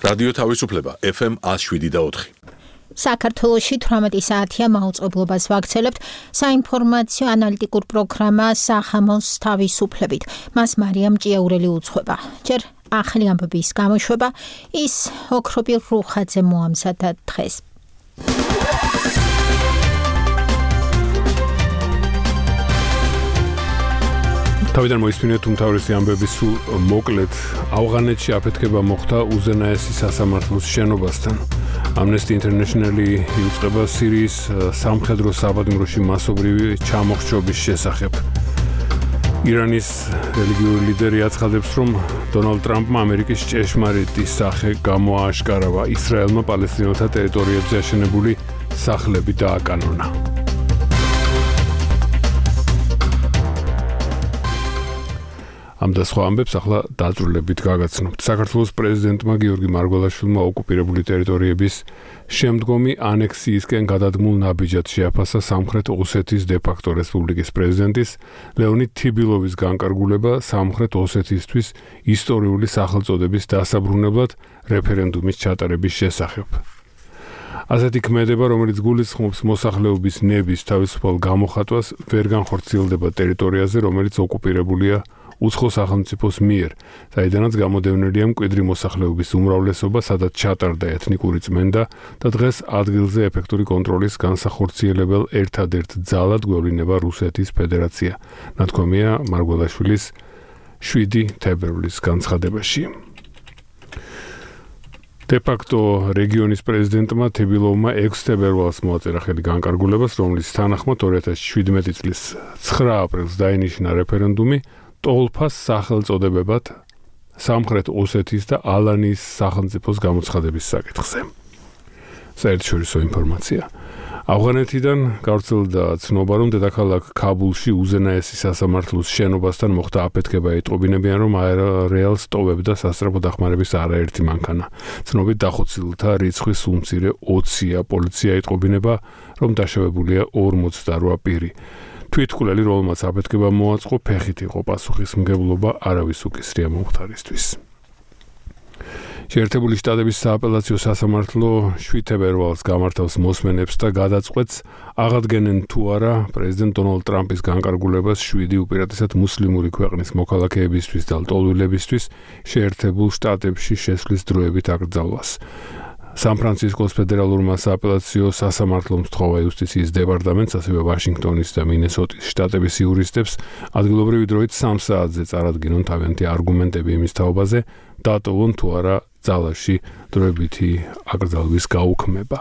რადიო თავისუფლება FM 107.4. საქართველოში 18 საათია მაუწყებლობას ვაქცელებთ საინფორმაციო ანალიტიკურ პროგრამა სახამოს თავისუფლებით. მას მარიამ ჭიაურელი უძღვება. ჯერ ახალი ამბების გამოშვება ის ოქროპი რუხაძე მოამზადა დღეს. თავიდან მოისმინეთ უმთავრესი ამბები სულ მოკლედ. ავღანეთში აფეთქება მოხდა უზენაესი სასამართლოს შენობასთან. Amnesty International-ი იუწყება სირიის სამხედრო საბადმროში მასობრივი ჩამოხრჩობის შესახებ. ირანის რელიგიური ლიდერი აცხადებს, რომ დონალდ ტრამპმა ამერიკის ჭეშმარიტი სახე გამოააშკარავა. ისრაელმა პალესტინელთა ტერიტორიებზე აშენებული სახლები დააკანონა. ამ და სხვა ამბებს ახლა დაწვრილებით გაგაცნობთ. საქართველოს პრეზიდენტმა გიორგი მარგველაშვილმა ოკუპირებული ტერიტორიების შემდგომი ანექსიისკენ გადადგმულ ნაბიჯად შეაფასა სამხრეთ ოსეთის დე-ფაქტო რესპუბლიკის პრეზიდენტის ლეონიდ თიბილოვის განკარგულება სამხრეთ ოსეთისთვის ისტორიული სახელწოდების დასაბრუნებლად რეფერენდუმის ჩატარების შესახებ. ასეთი ქმედება, რომელიც გულისხმობს მოსახლეობის ნების თავისუფალ გამოხატვას, ვერ განხორციელდება ტერიტორიაზე, რომელიც ოკუპირებულია უცხო სახელმწიფოს მიერ, საიდანაც გამოდევნილია მკვიდრი მოსახლეობის უმრავლესობა, სადაც ჩატარდა ეთნიკური წმენდა და დღეს ადგილზე ეფექტური კონტროლის განსახორციელებელ ერთადერთ ძალად გვევლინება რუსეთის ფედერაცია. ნათქვამია მარგველაშვილის 7 თებერვლის განცხადებაში. დე-ფაქტო რეგიონის პრეზიდენტმა თიბილოვმა 6 თებერვალს მოაწერა ხელი განკარგულებას, რომლის თანახმად 2017 წლის 9 აპრილს დაინიშნა რეფერენდუმი ტოლფას სახელწოდებებად სამხრეთ ოსეთის და ალანიის სახელმწიფოს გამოცხადების საკითხზე. საერთაშორისო ინფორმაცია. ავღანეთიდან გავრცელდა ცნობა, რომ დედაქალაქ ქაბულში უზენაესი სასამართლოს შენობასთან მოხდა აფეთქება. ეტყობინებიან, რომ აერორეალს ტოვებდა სასწრაფო დახმარების არაერთი მანქანა. ცნობით დახოცილთა რიცხვი სულ მცირე 20-ია. პოლიცია ეტყობინება, რომ დაშავებულია 48 პირი. თვითმკვლელი, რომელმაც აფეთქება მოაწყო, ფეხით იყო პასუხისმგებლობა არავის უკისრია მომხდარისთვის. შეერთებული შტატების სააპელაციო სასამართლო 7 თებერვალს გამართავს მოსმენებს და გადაწყვეტს აღადგენენ თუ არა პრეზიდენტ დონალდ ტრამპის განკარგულებას 7 უპირატესად მუსლიმური ქვეყნის მოქალაქეებისთვის და ლტოლვილებისთვის შეერთებულ შტატებში შესვლის დროებით აკრძალვას. სან-ფრანცისკოს ფედერალურმა სააპელაციო სასამართლომ სთხოვა იუსტიციის დეპარტამენტს, ასევე ვაშინგტონის და მინესოტის შტატების იურისტებს ადგილობრივი დროით 3 საათზე წარადგინონ თავიანთი არგუმენტები იმის თაობაზე, დატოვონ თუ არა ძალაში დროებითი აკრძალვის გაუქმება.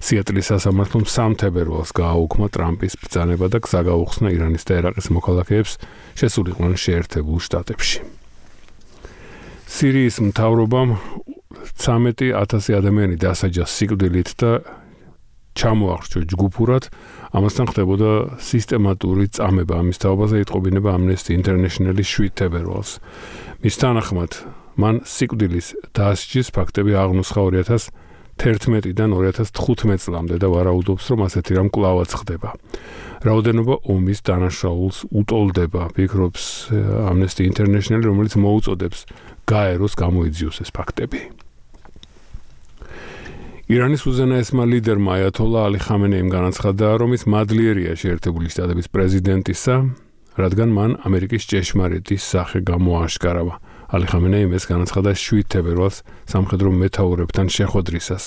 სიეტლის სასამართლომ 3 თებერვალს გააუქმა ტრამპის ბრძანება და გზა გაუხსნა ირანის და ერაყის მოქალაქეებს შესულიყვნენ შეერთებულ შტატებში. სირიის მთავრობამ 13,000 ადამიანი დასაჯა სიკვდილით და ჩამოახრჩო ჯგუფურად, ამასთან ხდებოდა სისტემატური წამება. ამის თაობაზე იტყობინება Amnesty International-ის 7 თებერვალს. მის თანახმად, მან სიკვდილის დასჯის ფაქტები აღნუსხა 2011-დან 2015 წლამდე და ვარაუდობს, რომ ასეთი რამ კვლავაც ხდება. რაოდენობა ომის დანაშაულს უტოლდება, ფიქრობს Amnesty International, რომელიც მოუწოდებს გაეროს გამოიძიოს ეს ფაქტები. ირანის უზენაესმა ლიდერმა აიათოლა ალი ხამენეიმ განაცხადა, რომ ის მადლიერია შეერთებული შტატების პრეზიდენტისა, რადგან მან ამერიკის ჭეშმარიტი სახე გამოააშკარავა. ალი ხამენეიმ ეს განაცხადა 7 თებერვალს სამხედრო მეთაურებთან შეხვედრისას.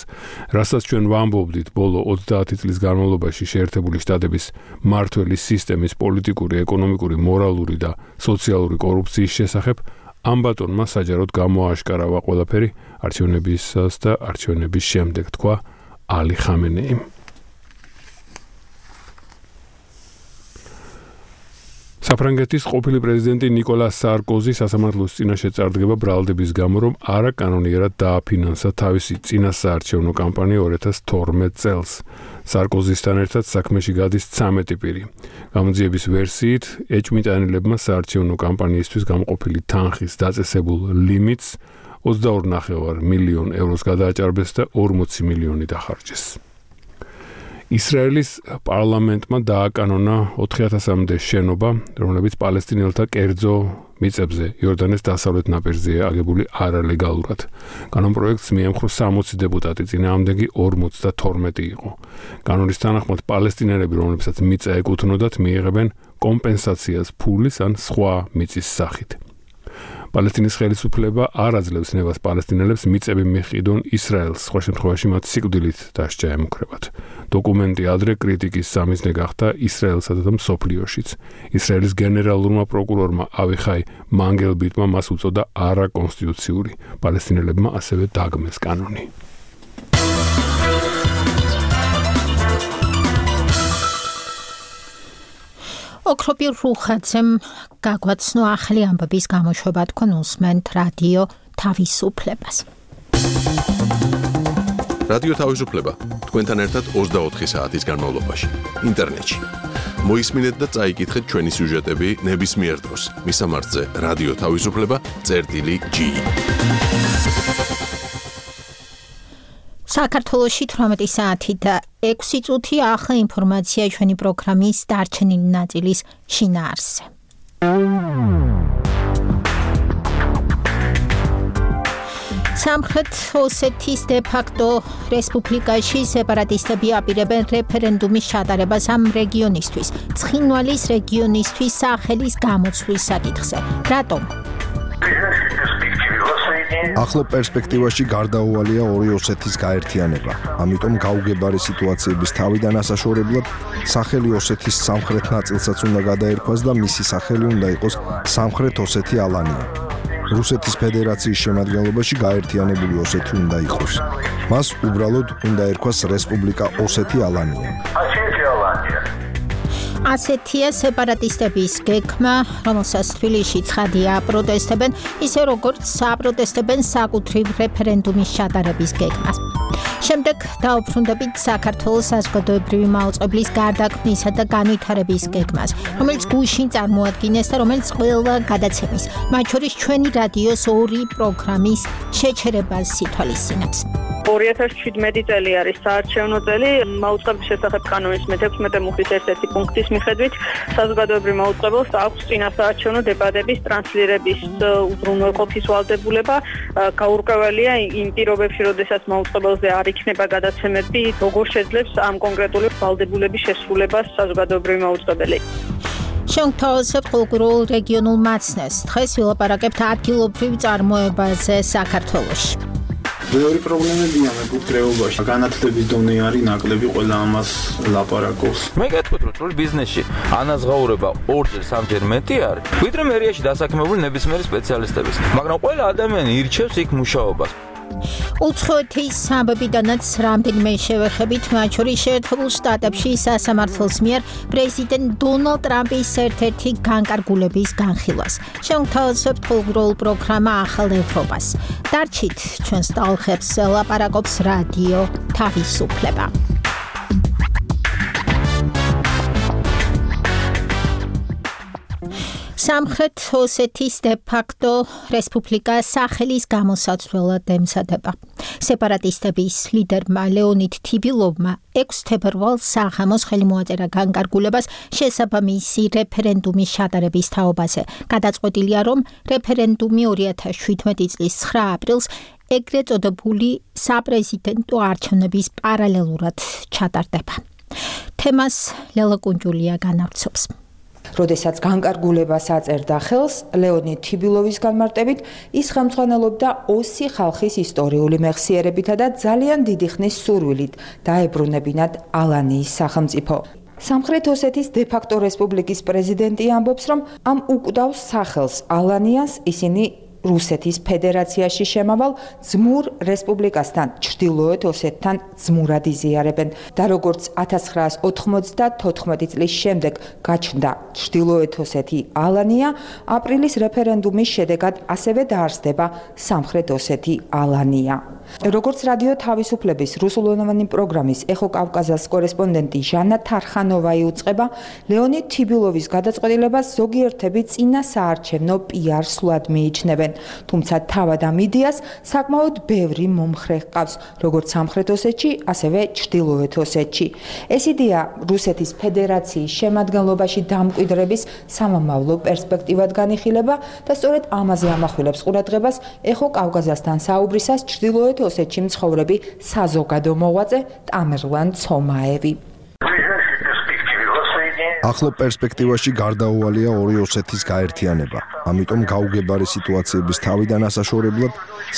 რასაც ჩვენ ვამბობდით ბოლო 30 წლის განმავლობაში შეერთებული შტატების მმართველი სისტემის პოლიტიკური, ეკონომიკური, მორალური და სოციალური კორუფციის შესახებ, ამ ბატონმა საჯაროდ გამოააშკარავა ყველაფერი არჩევნებისას და არჩევნების შემდეგ, თქვა ალი ხამენეიმ. საფრანგეთის ყოფილი პრეზიდენტი ნიკოლას სარკოზი სასამართლოს წინაშე წარდგება ბრალდების გამო, რომ არაკანონიერად დააფინანსა თავისი წინასაარჩევნო კამპანია 2012 წელს. სარკოზისთან ერთად საქმეში გადის 13 პირი. გამოძიების ვერსიით, ეჭვმიტანილებმა საარჩევნო კამპანიისთვის გამყოფილი თანხის დაწესებულ ლიმიტს 22,5 მილიონ ევროს გადააჭარბეს და 40 მილიონი დახარჯეს. ისრაელის პარლამენტმა დააკანონა 4000-მდე შენობა, რომლებიც პალესტინელთა კერძო მიწებზე იორდანეს დასავლეთ ნაპირზეა აგებული არალეგალურად. კანონპროექტს მიემხრო 60 დეპუტატი, წინააღმდეგი 52 იყო. კანონის თანახმად პალესტინელები, რომლებსაც მიწა ეკუთვნოდათ, მიიღებენ კომპენსაციას ფულის ან სხვა მიწის სახით. პალესტინის ხელისუფლება არ აძლევს ნებას პალესტინელებს მიწები მიჰყიდონ ისრაელს, სხვა შემთხვევაში მათ სიკვდილით დასჯა ემუქრებათ. დოკუმენტი ადრე კრიტიკის სამიზნე გახდა ისრაელსა და მსოფლიოშიც. ისრაელის გენერალურმა პროკურორმა ავიხაი მანგელბიტმა მას უწოდა არაკონსტიტუციური. პალესტინელებმა ასევე დაგმეს კანონი. ოქროპირ რუხაძემ გაგვაცნო ახალი ამბების გამოშვება, თქვენ უსმენთ რადიო თავისუფლებას. რადიო თავისუფლება თქვენთან ერთად 24 საათის განმავლობაში ინტერნეტში. მოისმინეთ და წაიკითხეთ ჩვენი სიუჟეტები ნებისმიერ დროს. მისამართზე რადიო თავისუფლება.ge. საქართველოში 18 საათი და 6 წუთი ახლა ინფორმაცია ჩვენი პროგრამის დარჩენილი ნაწილის შინაარსზე. სამხრეთ ოსეთის დე-ფაქტო რესპუბლიკაში სეპარატისტები აპირებენ რეფერენდუმის ჩატარებას ამ რეგიონისთვის, ცხინვალის რეგიონისთვის სახელის გამოცვლის საკითხზე. რატომ? ახლო პერსპექტივაში გარდაუვალია ორი ოსეთის გაერთიანება. ამიტომ გაუგებარი სიტუაციების თავიდან ასაშორებლად სახელი ოსეთის სამხრეთ ნაწილსაც უნდა გადაერქვას და მისი სახელი უნდა იყოს სამხრეთ ოსეთი ალანია. რუსეთის ფედერაციის შემადგენლობაში გაერთიანებული ოსეთი უნდა იყოს. მას უბრალოდ უნდა ერქვას რესპუბლიკა ოსეთი ალანია. ასეთია სეპარატისტების გეგმა, რომელსაც თბილისში ცხადია აპროტესტებენ, ისე როგორც აპროტესტებენ საკუთრივ რეფერენდუმის ჩატარების გეგმას. შემდეგ დაუბრუნდებით საქართველოს საზოგადოებრივი მაუწყებლის გარდაქმნისა და განვითარების გეგმას, რომელიც გუშინ წარმოადგინეს და რომელიც ყველა გადაცემის, მათ შორის ჩვენი რადიოს 2 პროგრამის შეჩერებას ითვალისწინებს. 2017 წელი არის საარჩევნო წელი. მაუწყებლის შესახებ კანონის მე-16 მუხლის ერთ-ერთი პუნქტის მიხედვით საზოგადოებრივ მაუწყებელს აქვს წინასაარჩევნო დებატების ტრანსლირების უზრუნველყოფის ვალდებულება. გაურკვეველია იმ პირობებში, როდესაც მაუწყებელზე არ იქნება გადაცემები, როგორ შეძლებს ამ კონკრეტული ვალდებულების შესრულებას საზოგადოებრივი მაუწყებელი. შევთავაზებთ კულტურულ რეგიონულ მაცნეს. დღეს ვილაპარაკებთ ადგილობრივ წარმოებაზე საქართველოში. მეორე პრობლემებია მეკუთვნებაში. განათლების დონე არის ნაკლები, ყველა ამას ლაპარაკობს. მე გეტყვით, რომ წვრილ ბიზნესში ანაზღაურება 2-ჯერ 3-ჯერ მეტი არის, ვიდრე მერიაში დასაქმებული ნებისმიერი სპეციალისტების. მაგრამ ყველა ადამიანი ირჩევს იქ მუშაობას. უცხოეთის სამებიდანაც რამდენიმე შევეხებით, მათ შორის შეერთებულ შტატებში სასამართლოს მიერ პრეზიდენტ დონალდ ტრამპის ერთ-ერთი განკარგულების განხილვას. შევთავაზებთ კულტურულ პროგრამა ახალ ევროპას. დარჩით ჩვენს ტალღებს ლაპარაკობს რადიო თავისუფლება. სამხრეთ ოსეთის დე-ფაქტო რესპუბლიკა სახელის გამოსაცვლელად ემზადება. სეპარატისტების ლიდერმა ლეონიდ თიბილოვმა 6 თებერვალს საღამოს ხელი მოაწერა განკარგულებას შესაბამისი რეფერენდუმის ჩატარების თაობაზე. გადაწყვეტილია, რომ რეფერენდუმი 2017 წლის 9 აპრილს ეგრეთ წოდებული საპრეზიდენტო არჩევნების პარალელურად ჩატარდება. თემას ლელა კუნჯულია განავრცობს. როდესაც განკარგულებას აწერდა ხელს, ლეონიდ თიბილოვის განმარტებით, ის ხელმძღვანელობდა ოსი ხალხის ისტორიული მეხსიერებითა და ძალიან დიდი ხნის სურვილით დაებრუნებინათ ალანიის სახელმწიფო. სამხრეთ ოსეთის დე-ფაქტო რესპუბლიკის პრეზიდენტი ამბობს, რომ ამ უკვდავს სახელს ალანიას ისინი რუსეთის ფედერაციაში შემავალ ძმურ რესპუბლიკასთან, ჩრდილოეთ ოსეთთან ძმურად იზიარებენ და როგორც 1994 წლის შემდეგ გაჩნდა ჩრდილოეთ ოსეთი ალანია, აპრილის რეფერენდუმის შედეგად ასევე დაარსდება სამხრეთ ოსეთი ალანია. როგორც რადიო თავისუფლების რუსულენოვანი პროგრამის ეხო კავკაზას კორესპონდენტი ჟანა თარხანოვა იუწყება, ლეონიდ თიბილოვის გადაწყვეტილებას ზოგიერთები წინა საარჩევნო PR სვლად მიიჩნევენ. თუმცა თავად ამ იდეას საკმაოდ ბევრი მომხრე ჰყავს, როგორც სამხრეთ ოსეთში, ასევე ჩრდილოეთ ოსეთში. ეს იდეა რუსეთის ფედერაციის შემადგენლობაში დამკვიდრების სამომავლო პერსპექტივად განიხილება და სწორედ ამაზე ამახვილებს ყურადღებას ეხო კავკაზასთან საუბრისას ჩრდილოეთ ოსეთში მცხოვრები საზოგადო მოღვაწე ტამერლან ცომაევი. ახლო პერსპექტივაში გარდაუვალია ორი ოსეთის გაერთიანება. ამიტომ გაუგებარი სიტუაციების თავიდან ასაშორებლად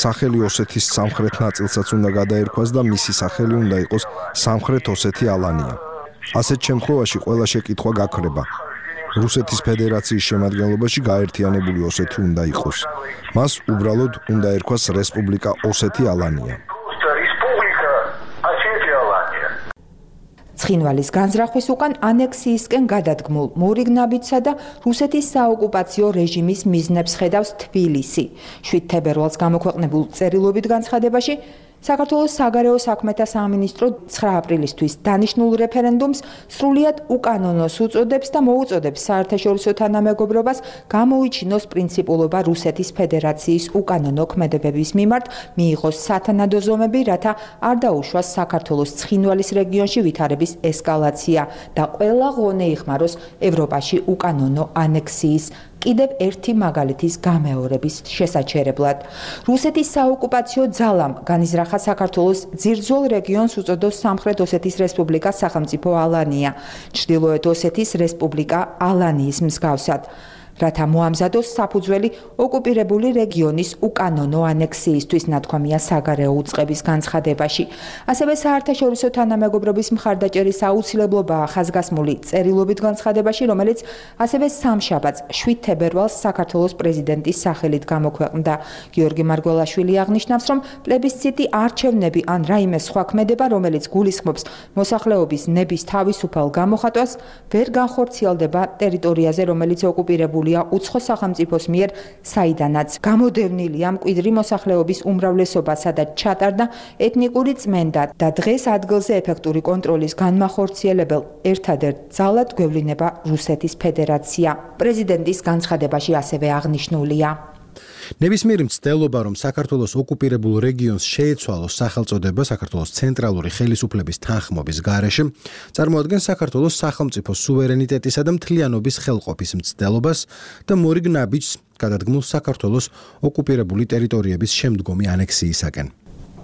სახელი ოსეთის სამხრეთ ნაწილსაც უნდა გადაერქვას და მისი სახელი უნდა იყოს სამხრეთ ოსეთი ალანია. ასეთ შემთხვევაში ყველა შეკითხვა გაქრება. რუსეთის ფედერაციის შემადგენლობაში გაერთიანებული ოსეთი უნდა იყოს. მას უბრალოდ უნდა ერქვას რესპუბლიკა ოსეთი ალანია. ცხინვალის განზრახვის უკან ანექსიისკენ გადადგმულ მორიგნაბიჯსა და რუსეთის საოკუპაციო რეჟიმის მიზნებს ხედავს თბილისი. 7 თებერვალს გამოქვეყნებულ წერილობით განცხადებაში საქართველოს საგარეო საქმეთა სამინისტრო 9 აპრილისთვის დანიშნულ რეფერენდუმს სრულიად უკანონოს უწოდებს და მოუწოდებს საერთაშორისო თანამეგობრობას გამოიჩინოს პრინციპულობა რუსეთის ფედერაციის უკანონო ქმედებების მიმართ, მიიღოს სათანადო ზომები, რათა არ დაუშვას საქართველოს ცხინვალის რეგიონში ვითარების ესკალაცია და ყველა ღონე იხმაროს ევროპაში უკანონო ანექსიის კიდევ ერთი მაგალითის გამეორების შესაჩერებლად. რუსეთის საოკუპაციო ძალამ განიზრახა საქართველოს ძირძველ რეგიონს უწოდოს სამხრეთ ოსეთის რესპუბლიკა სახელმწიფო ალანია, ჩრდილოეთ ოსეთის რესპუბლიკა ალანიის მსგავსად. რათა მოამზადოს საფუძველი ოკუპირებული რეგიონის უკანონო ანექსიისთვის, ნათქვამია საგარეო უწყების განცხადებაში. ასევე საერთაშორისო თანამეგობრობის მხარდაჭერის აუცილებლობაა ხაზგასმული წერილობით განცხადებაში, რომელიც ასევე სამშაბათს 7 თებერვალს საქართველოს პრეზიდენტის სახელით გამოქვეყნდა. გიორგი მარგველაშვილი აღნიშნავს, რომ პლებისციტი არჩევნები ან რაიმე სხვა ქმედება, რომელიც გულისხმობს მოსახლეობის ნების თავისუფალ გამოხატვას, ვერ განხორციელდება ტერიტორიაზე, რომელიც ოკუპირებულია უცხო სახელმწიფოს მიერ, საიდანაც გამოდევნილია მკვიდრი მოსახლეობის უმრავლესობა, სადაც ჩატარდა ეთნიკური წმენდა და დღეს ადგილზე ეფექტური კონტროლის განმახორციელებელ ერთადერთ ძალად გვევლინება რუსეთის ფედერაცია. პრეზიდენტის განცხადებაში ასევე აღნიშნულია. ნებისმიერი მცდელობა, რომ საქართველოს ოკუპირებულ რეგიონს შეეცვალოს სახელწოდება საქართველოს ცენტრალური ხელისუფლების თანხმობის გარეშე, წარმოადგენს საქართველოს სახელმწიფო სუვერენიტეტისა და მთლიანობის ხელყოფის მცდელობას და მორიგნაბიჯს გადადგმულ საქართველოს ოკუპირებული ტერიტორიების შემდგომი ანექსიისაკენ.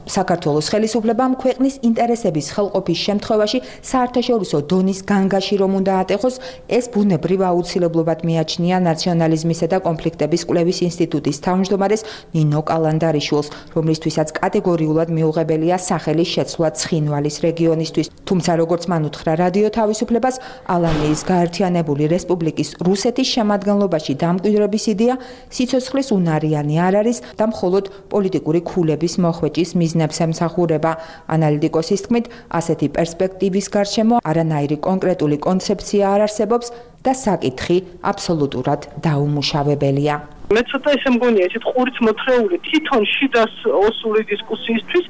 საქართველოს ხელისუფლებამ ქვეყნის ინტერესების ხელყოფის შემთხვევაში საერთაშორისო დონის განგაში რომ უნდა ატეხოს, ეს ბუნებრივ აუცილებლობად მიაჩნია ნაციონალიზმისა და კონფლიქტების კვლევის ინსტიტუტის თავმჯდომარეს ნინო კალანდარიშვილს, რომლისთვისაც კატეგორიულად მიუღებელია სახელის შეცვლა ცხინვალის რეგიონისთვის. თუმცა, როგორც მან უთხრა რადიო თავისუფლებას, ალანიის გაერთიანებული რესპუბლიკის რუსეთის შემადგენლობაში დამკვიდრების იდეა სიცოცხლის უნარიანი არ არის და მხოლოდ პოლიტიკური ქულების მოხვეჭის მიზნით ემსახურება. ანალიტიკოსის თქმით, ასეთი პერსპექტივის გარშემო არანაირი კონკრეტული კონცეფცია არ არსებობს და საკითხი აბსოლუტურად დაუმუშავებელია. მე ცოტა ესე მგონია, ესეთ ყურიც მოთხრეული თვითონ შიდას ოსური დისკუსიისთვის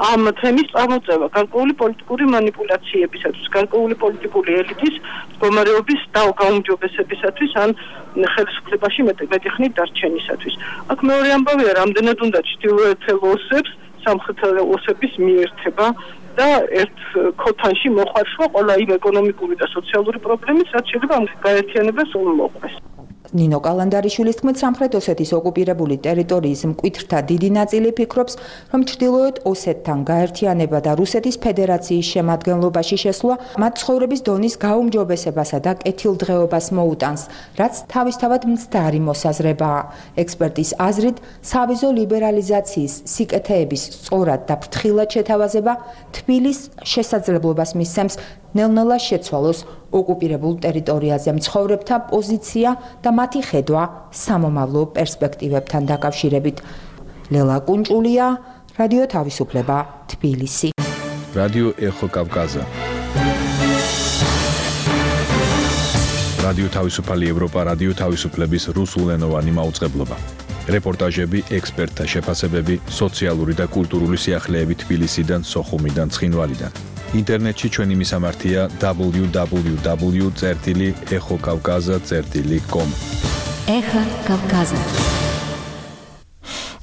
ამ თემის წარმოწევა გარკვეული პოლიტიკური მანიპულაციებისათვის, გარკვეული პოლიტიკური ელიტის მდგომარეობის გაუმჯობესებისათვის ან ხელისუფლებაში მეტი ხნით დარჩენისათვის. აქ მეორე ამბავია, რამდენად უნდა ჩრდილოეთელ ოსებს სამხრეთ ოსების მიერთება და ერთ ქოთანში მოხარშვა ყველა იმ ეკონომიკური და სოციალური პრობლემის, რაც შეიძლება ამ გაერთიანებას უმოყვეს. ნინო კალანდარიშვილის თქმით, სამხრეთ ოსეთის ოკუპირებული ტერიტორიის მკვეთრთა დიდი ნაწილი ფიქრობს, რომ ჩრდილოეთ ოსეთთან გაერთიანება და რუსეთის ფედერაციის შემადგენლობაში შესვლა მათ ცხოვრების დონის გაუმჯობესებასა და კეთილდღეობას მოუტანს, რაც თავისთავად მცდარი მოსაზრებაა. ექსპერტის აზრით, სავიზო ლიბერალიზაციის სიკეთეების სწორად და ფრთხილად შეთავაზება თბილის შესაძლებლობას მისცემს ნელ-ნელა შეცვალოს ოკუპირებულ ტერიტორიაზე მცხოვრებთა პოზიცია და მათი ხედვა სამომავლო პერსპექტივებთან დაკავშირებით. ლელა კუნჭულია, რადიო თავისუფლება, თბილისი. რადიო ეხო კავკაზა. რადიო თავისუფალი ევროპა, რადიო თავისუფლების რუსულენოვანი მაუწყებლობა. რეპორტაჟები, ექსპერტთა შეფასებები, სოციალური და კულტურული სიახლეები თბილისიდან, სოხუმიდან, ცხინვალიდან. ინტერნეტში ჩვენი მისამართია www.ეხოკავკაზა.com. ეხა კავკაზა.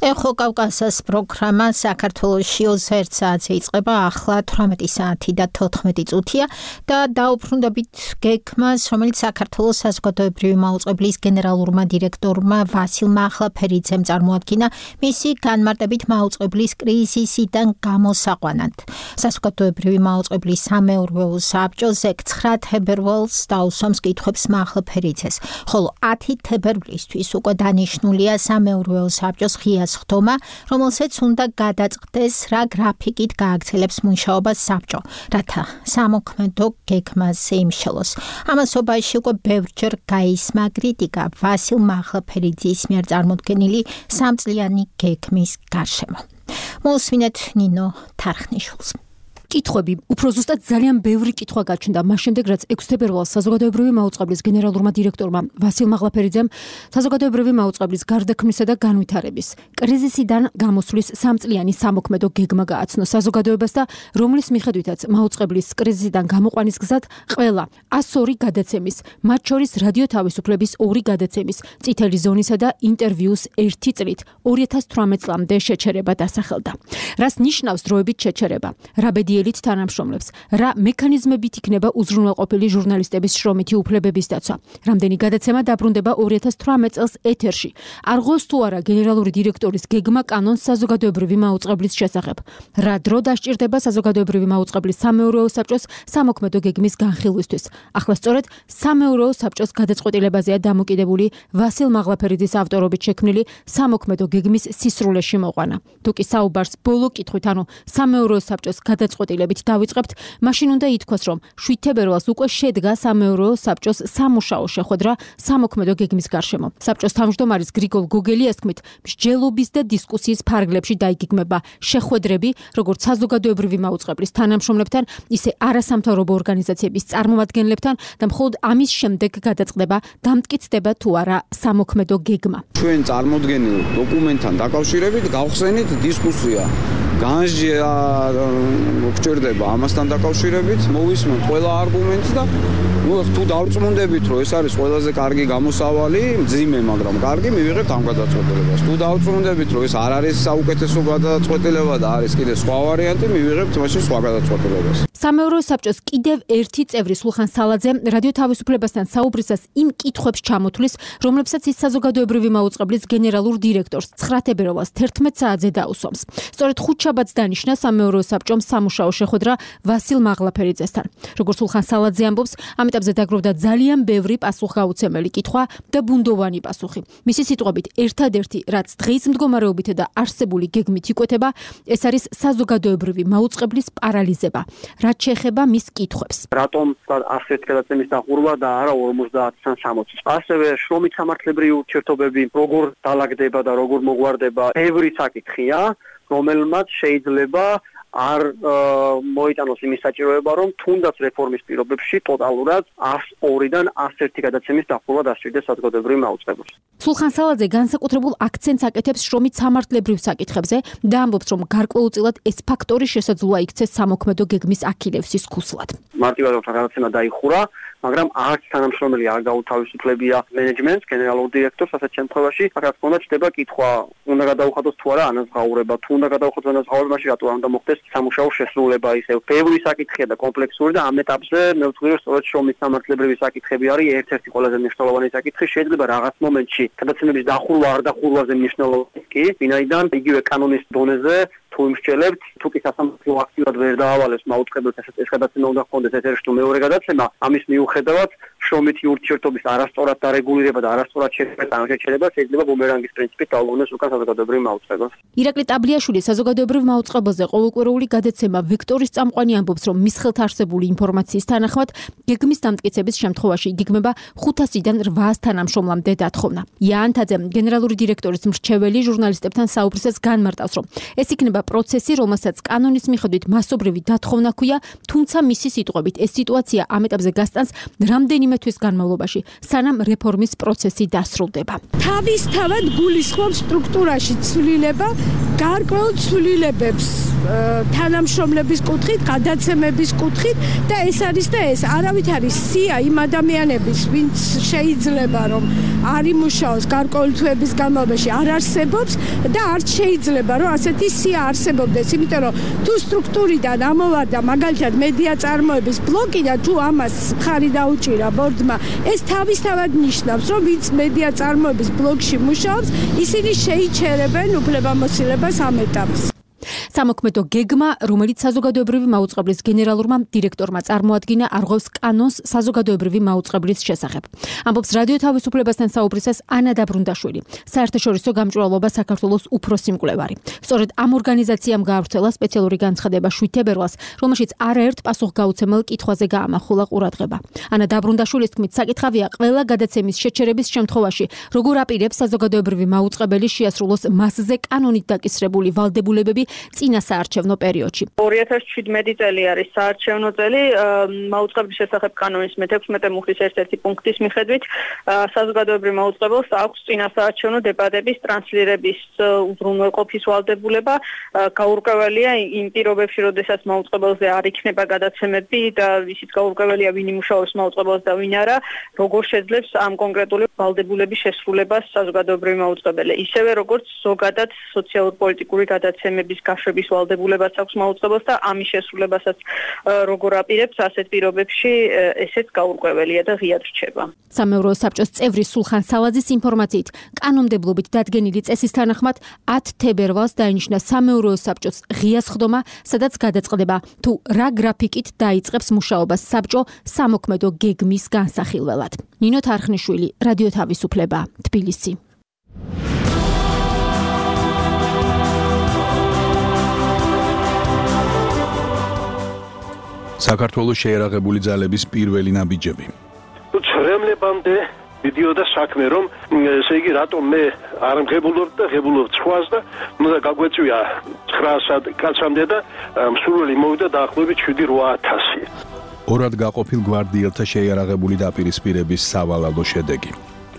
ეხო კავკასიის პროგრამა საქართველოში 21 საათზე იწყება, ახლა 18 საათი და 14 წუთია და დაუბრუნდებით გეგმას, რომელიც საქართველოს საზოგადოებრივი მაუწყებლის გენერალურმა დირექტორმა ვასილ მაღლაფერიძემ წარმოადგინა მისი განმარტებით მაუწყებლის კრიზისიდან გამოსაყვანად. საზოგადოებრივი მაუწყებლის სამეურვეო საბჭოზე 9 თებერვალს დაუსვამს კითხვებს მაღლაფერიძეს, ხოლო 10 თებერვლისთვის უკვე დანიშნულია სამეურვეო საბჭოს ღია ხდომა, რომელსაც უნდა გადაწყდეს, რა გრაფიკით გააგრძელებს მუშაობას საბჭო, რათა სამოქმედო გეგმაზე იმშელოს. ამასობაში უკვე ბევრჯერ გაისმა კრიტიკა ვასილ მაღლაფერიძის მიერ წარმოდგენილი სამწლიანი გეგმის გარშემო. მოსვინეთ ნინო თარხნიშვილს. კითხვები, უფრო ზუსტად ძალიან ბევრი კითხვა გაჩნდა მას შემდეგ, რაც 6 თებერვალს საზოგადოებრივი მაუწყებლის გენერალურმა დირექტორმა ვასილ მაღლაფერიძემ საზოგადოებრივი მაუწყებლის გარდაქმნისა და განვითარების კრიზისიდან გამოსვლის სამწლიანი სამოქმედო გეგმა გააცნო საზოგადოებას და რომლის მიხედვითაც მაუწყებლის კრიზისიდან გამოყვანის გზად ყველა 102 გადაცემის, მათ შორის რადიო თავისუფლების 2 გადაცემის, წითელი ზონისა და ინტერვიუს 1 წლით 2018 წლამდე შეჩერება დასახელდა. რას ნიშნავს დროებით შეჩერება? რა ბედიელით თანამშრომლებს, რა მექანიზმებით იქნება უზრუნველყოფილი ჟურნალისტების შრომითი უფლებების დაცვა. რამდენი გადაცემა დაბრუნდება 2018 წელს ეთერში. არღოს თუ არა გენერალური დირექტორის გეგმა კანონს საზოგადოებრივი მაუწყებლის შესახებ. რა დრო დასჭირდება საზოგადოებრივი მაუწყებლის სამეურვეო საბჭოს სამოქმედო გეგმის განხილვისთვის. ახლა სწორედ სამეურვეო საბჭოს გადაწყვეტილებაზეა დამოკიდებული ვასილ მაღლაფერიძის ავტორობით შექმნილი სამოქმედო გეგმის სისრულეში მოყვანა. თუკი საუბარს ბოლო კითხვით, ანუ სამეურვეო საბჭოს გადაწყვეტილებით დავიწყებთ, მაშინ უნდა ითქვას, რომ 7 თებერვალს უკვე შედგა სამეურვეო საბჭოს სამუშაო შეხვედრა სამოქმედო გეგმის გარშემო. საბჭოს თავმჯდომარის გრიგოლ გოგელიას თქმით, მსჯელობის და დისკუსიის ფარგლებში დაიგეგმება შეხვედრები, როგორც საზოგადოებრივი მაუწყებლის თანამშრომლებთან, ისე არასამთავრობო ორგანიზაციების წარმომადგენლებთან და მხოლოდ ამის შემდეგ გადაწყდება, დამტკიცდება თუ არა სამოქმედო გეგმა. ჩვენ წარმოდგენილ დოკუმენტთან დაკავშირებით გავხსენით დისკუსია. განსჯა გჭირდება ამასთან დაკავშირებით, მოვისმენთ ყველა არგუმენტს და თუ დავწმუნდებით, რომ ეს არის ყველაზე კარგი გამოსავალი, მძიმე, მაგრამ კარგი, მივიღებთ ამ გადაწყვეტილებას. თუ დავწმუნდებით, რომ ეს არ არის საუკეთესო გადაწყვეტილება და არის კიდე სხვა ვარიანტი, მივიღებთ მაშინ სხვა გადაწყვეტილებას. სამეურვეო საბჭოს კიდევ ერთი წევრი სულხან სალაძე რადიო თავისუფლებასთან საუბრისას იმ კითხვებს ჩამოთვლის, რომლებსაც ის საზოგადოებრივი მაუწყებლის გენერალურ დირექტორს 9 თებერვალს 11 საათზე დაუსვამს. სწორედ ხუთშაბათს დანიშნა სამეურვეო საბჭომ სამუშაო შეხვედრა ვასილ მაღლაფერიძესთან. როგორც სულხან სალაძე ამბობს, ამ ეტაპზე დაგროვდა ძალიან ბევრი პასუხგაუცემელი კითხვა და ბუნდოვანი პასუხი. მისი სიტყვებით, ერთადერთი, რაც დღის მდგომარეობით და არსებული გეგმით იკვეთება, ეს არის საზოგადოებრივი მაუწყებლის პარალიზება. რაც შეეხება მის კითხვებს. რატომ ასეთ გადაცემის დახურვა და არა 50-დან 60-ს? ასევე შრომით სამართლებრივი ურთიერთობები როგორ დაალაგდება და როგორ მოგვარდება, ბევრი საკითხია, რომელმაც შეიძლება არ მოიტანოს იმის საჭიროება, რომ თუნდაც რეფორმის პირობებში ტოტალურად 102-დან 101 გადაცემის დახურვა დასჭირდეს საზოგადოებრივ მაუწყებელს. სულხან სალაძე განსაკუთრებულ აქცენტს აკეთებს შრომით სამართლებრივ საკითხებზე და ამბობს, რომ გარკვეულწილად ეს ფაქტორი შესაძლოა იქცეს სამოქმედო გეგმის აქილევსის ქუსლად. მარტივად რომ გადაცემა დაიხურა, მაგრამ არც თანამშრომელი არ გაუთავისუფლებია მენეჯმენტს, გენერალურ დირექტორს, ასეთ შემთხვევაში, რა თქმა უნდა, ჩდება კითხვა, უნდა გადაუხადოს თუ არა ანაზღაურება, თუ უნდა გადაუხადოს ანაზღაურება, მაშინ რატო არ უნდა მოხდეს სამუშაო შესრულება, ისე ბევრი საკითხია და კომპლექსური და ამ ეტაპზე მე ვთქვი, რომ სწორედ შრომის სამართლებრივი საკითხები არის ერთ-ერთი ყველაზე მნიშვნელოვანი საკითხი. შეიძლება რაღაც მომენტში გადაცემების დახურვა არ დახურვაზე მნიშვნელოვანი კი, ვინაიდან იგივე კანონის დონეზე თუ იმსჯელებთ, თუ კი სასამართლო აქტიურად ვერ დაავალებს მაუწყებელს ეს გადაცემა უნდა ჰქონდეს ეთერში თუ მეორე გადაცემა, ამის მიუხედავად შრომითი ურთიერთობის არასწორად დარეგულირება და არასწორად შეჩერება შეიძლება ბუმერანგის პრინციპით დაუბრუნდეს უკან საზოგადოებრივ მაუწყებელს. ირაკლი ტაბლიაშვილი საზოგადოებრივ მაუწყებელზე ყოველკვირეული გადაცემა ვექტორის წამყვანი ამბობს, რომ მის ხელთ არსებული ინფორმაციის თანახმად გეგმის დამტკიცების შემთხვევაში იგეგმება 500-დან 800 თანამშრომლამდე დათხოვნა. იანთაძე გენერალური დირექტორის მრჩეველი ჟურნალისტებთან საუბრისას განმარტავს, რომ ეს იქნება პროცესი, რომელსაც კანონის მიხედვით მასობრივი დათხოვნა ჰქვია, თუმცა მისი სიტყვებით ეს სიტუაცია ამ ეტაპზე გასტანს რამდენიმე რაიმე თვის განმავლობაში, სანამ რეფორმის პროცესი დასრულდება. თავისთავად გულისხმობს სტრუქტურაში ცვლილება, გარკვეულ ცვლილებებს თანამშრომლების კუთხით, გადაცემების კუთხით და ეს არის და ეს არავით არის სია იმ ადამიანების, ვინც შეიძლება რომ არ იმუშაოს გარკვეული თვეების განმავლობაში არ არსებობს და არც შეიძლება რომ ასეთი სია არსებობდეს, იმიტომ რომ თუ სტრუქტურიდან ამოვარდა მაგალითად მედია წარმოების ბლოკი და თუ ამას ხარი დაუჭირა ბორდმა, ეს თავისთავად ნიშნავს, რომ ვინც მედია წარმოების ბლოკში მუშაობს, ისინი შეიჩერებენ უფლებამოსილებას ამ ეტაპს. სამოქმედო გეგმა, რომელიც საზოგადოებრივი მაუწყებლის გენერალურმა დირექტორმა წარმოადგინა, არღვევს კანონს საზოგადოებრივი მაუწყებლის შესახებ. ამბობს რადიო თავისუფლებასთან საუბრისას ანა დაბრუნდაშვილი, საერთაშორისო გამჭვირვალობა საქართველოს უფროსი მკვლევარი. სწორედ ამ ორგანიზაციამ გაავრცელა სპეციალური განცხადება 7 თებერვალს, რომელშიც არაერთ პასუხგაუცემელ კითხვაზე გაამახვილა ყურადღება. ანა დაბრუნდაშვილის თქმით, საკითხავია ყველა გადაცემის შეჩერების შემთხვევაში, როგორ აპირებს საზოგადოებრივი მაუწყებელი შეასრულოს მასზე კანონით დაკისრებული ვალდებულებები წინა საარჩევნო პერიოდში. 2017 წელი არის საარჩევნო წელი, მაუწყებლის შესახებ კანონის მე-16 მუხლის ერთ-ერთი პუნქტის მიხედვით საზოგადოებრივ მაუწყებელს აქვს წინა საარჩევნო დებატების ტრანსლირების უზრუნველყოფის ვალდებულება, გაურკვეველია იმ პირობებში, როდესაც მაუწყებელზე არ იქნება გადაცემები და ისიც გაურკვეველია ვინ იმუშაობს მაუწყებელს და ვინ არა, როგორ შეძლებს ამ კონკრეტული ვალდებულების შესრულებას საზოგადოებრივი მაუწყებელი. ისევე როგორც ზოგადად სოციალურ-პოლიტიკური გადაცემების გაშვების ვალდებულებას აქვს მაუწყებელს და ამის შესრულებასაც როგორ აპირებს ასეთ პირობებში ესეც გაურკვეველია და ღიად რჩება. სამეურვეო საბჭოს წევრი სულხან სალაძის ინფორმაციით, კანონმდებლობით დადგენილი წესის თანახმად 10 თებერვალს დაინიშნა სამეურვეო საბჭოს ღია სხდომა, სადაც გადაწყდება თუ რა გრაფიკით დაიწყებს მუშაობას საბჭო სამოქმედო გეგმის განსახილველად. ნინო თარხნიშვილი, რადიო თავისუფლება, თბილისი. საქართველოს შეერაღებული ძალების პირველი ნაბიჯები. ცრემლებამდე მიდიოდა საქმე, რომ ესე იგი რატომ მე არ მღებულობ და ღებულობ ცხვას და უნდა გაგვეწვია 900 კაცამდე და მსურველი მოვიდა დაახლოებით 7-8000. ორად გაყოფილ გვარდიელთა შეიარაღებული დაპირისპირების სავალალო შედეგი.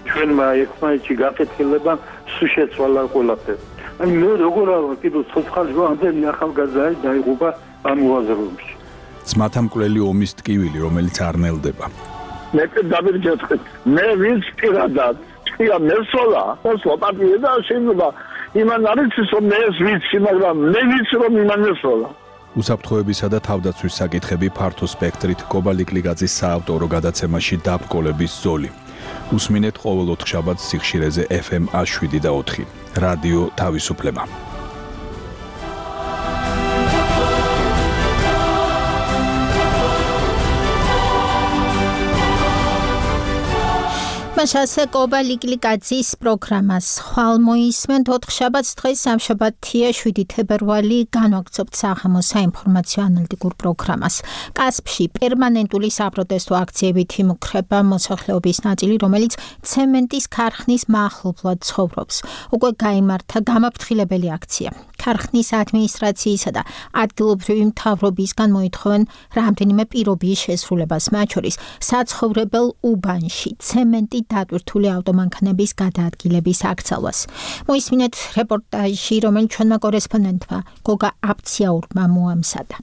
ჩვენმა ერთმანეთში გაკეთილება სულ შეცვალა ყველაფერი. აი მე როგორ არა კიდევ ცოცხალი ამდენი ახალგაზრდა დაიღუპა ამ მოაზროვნებში. ძმათა მკვლელი ომის ტკივილი, რომელიც არ ნელდება. მე დავირჯეთხეთ. მე ვინც პირადად ჭია მესოლა, მოსვა პატიე და შეიძლება იმან არის რომ მე ეს ვიცი, მაგრამ მე ვიცი რომ იმან მესოლა. უსაფრთხოებისა და თავდაცვის საკითხები ფართო სპექტრით კობალიკლიგაძის საავტორო გადაცემაში დაბრკოლების ზოლი. უსმინეთ ყოველ 4 შაბათს სიხშირეზე FM 7 და 4. რადიო თავისუფლება. მასა კობალიკლიგაძის პროგრამას ხვალ მოისმენთ 4 შაბათს, დღეს სამშაბათია 7 თებერვალი, განვაგრძობთ საღამოს საინფორმაციო ანალიტიკურ პროგრამას. კასპში პერმანენტული საპროტესტო აქციებით იმუქრება მოსახლეობის ნაწილი, რომელიც ცემენტის ქარხნის მახლობლად ცხოვრობს. უკვე გაიმართა გამაფრთხილებელი აქცია. ქარხნის ადმინისტრაციისა და ადგილობრივი მთავრობისგან მოითხოვენ რამდენიმე პირობის შესრულებას, მათ შორის საცხოვრებელ უბანში ცემენტი დატვირთული ავტომანქანების გადაადგილების აქცევას. მოისმინეთ რეპორტაჟი, რომელიც ჩვენმა კორესპონდენტმა გოგა აფციაურმა მოამზადა.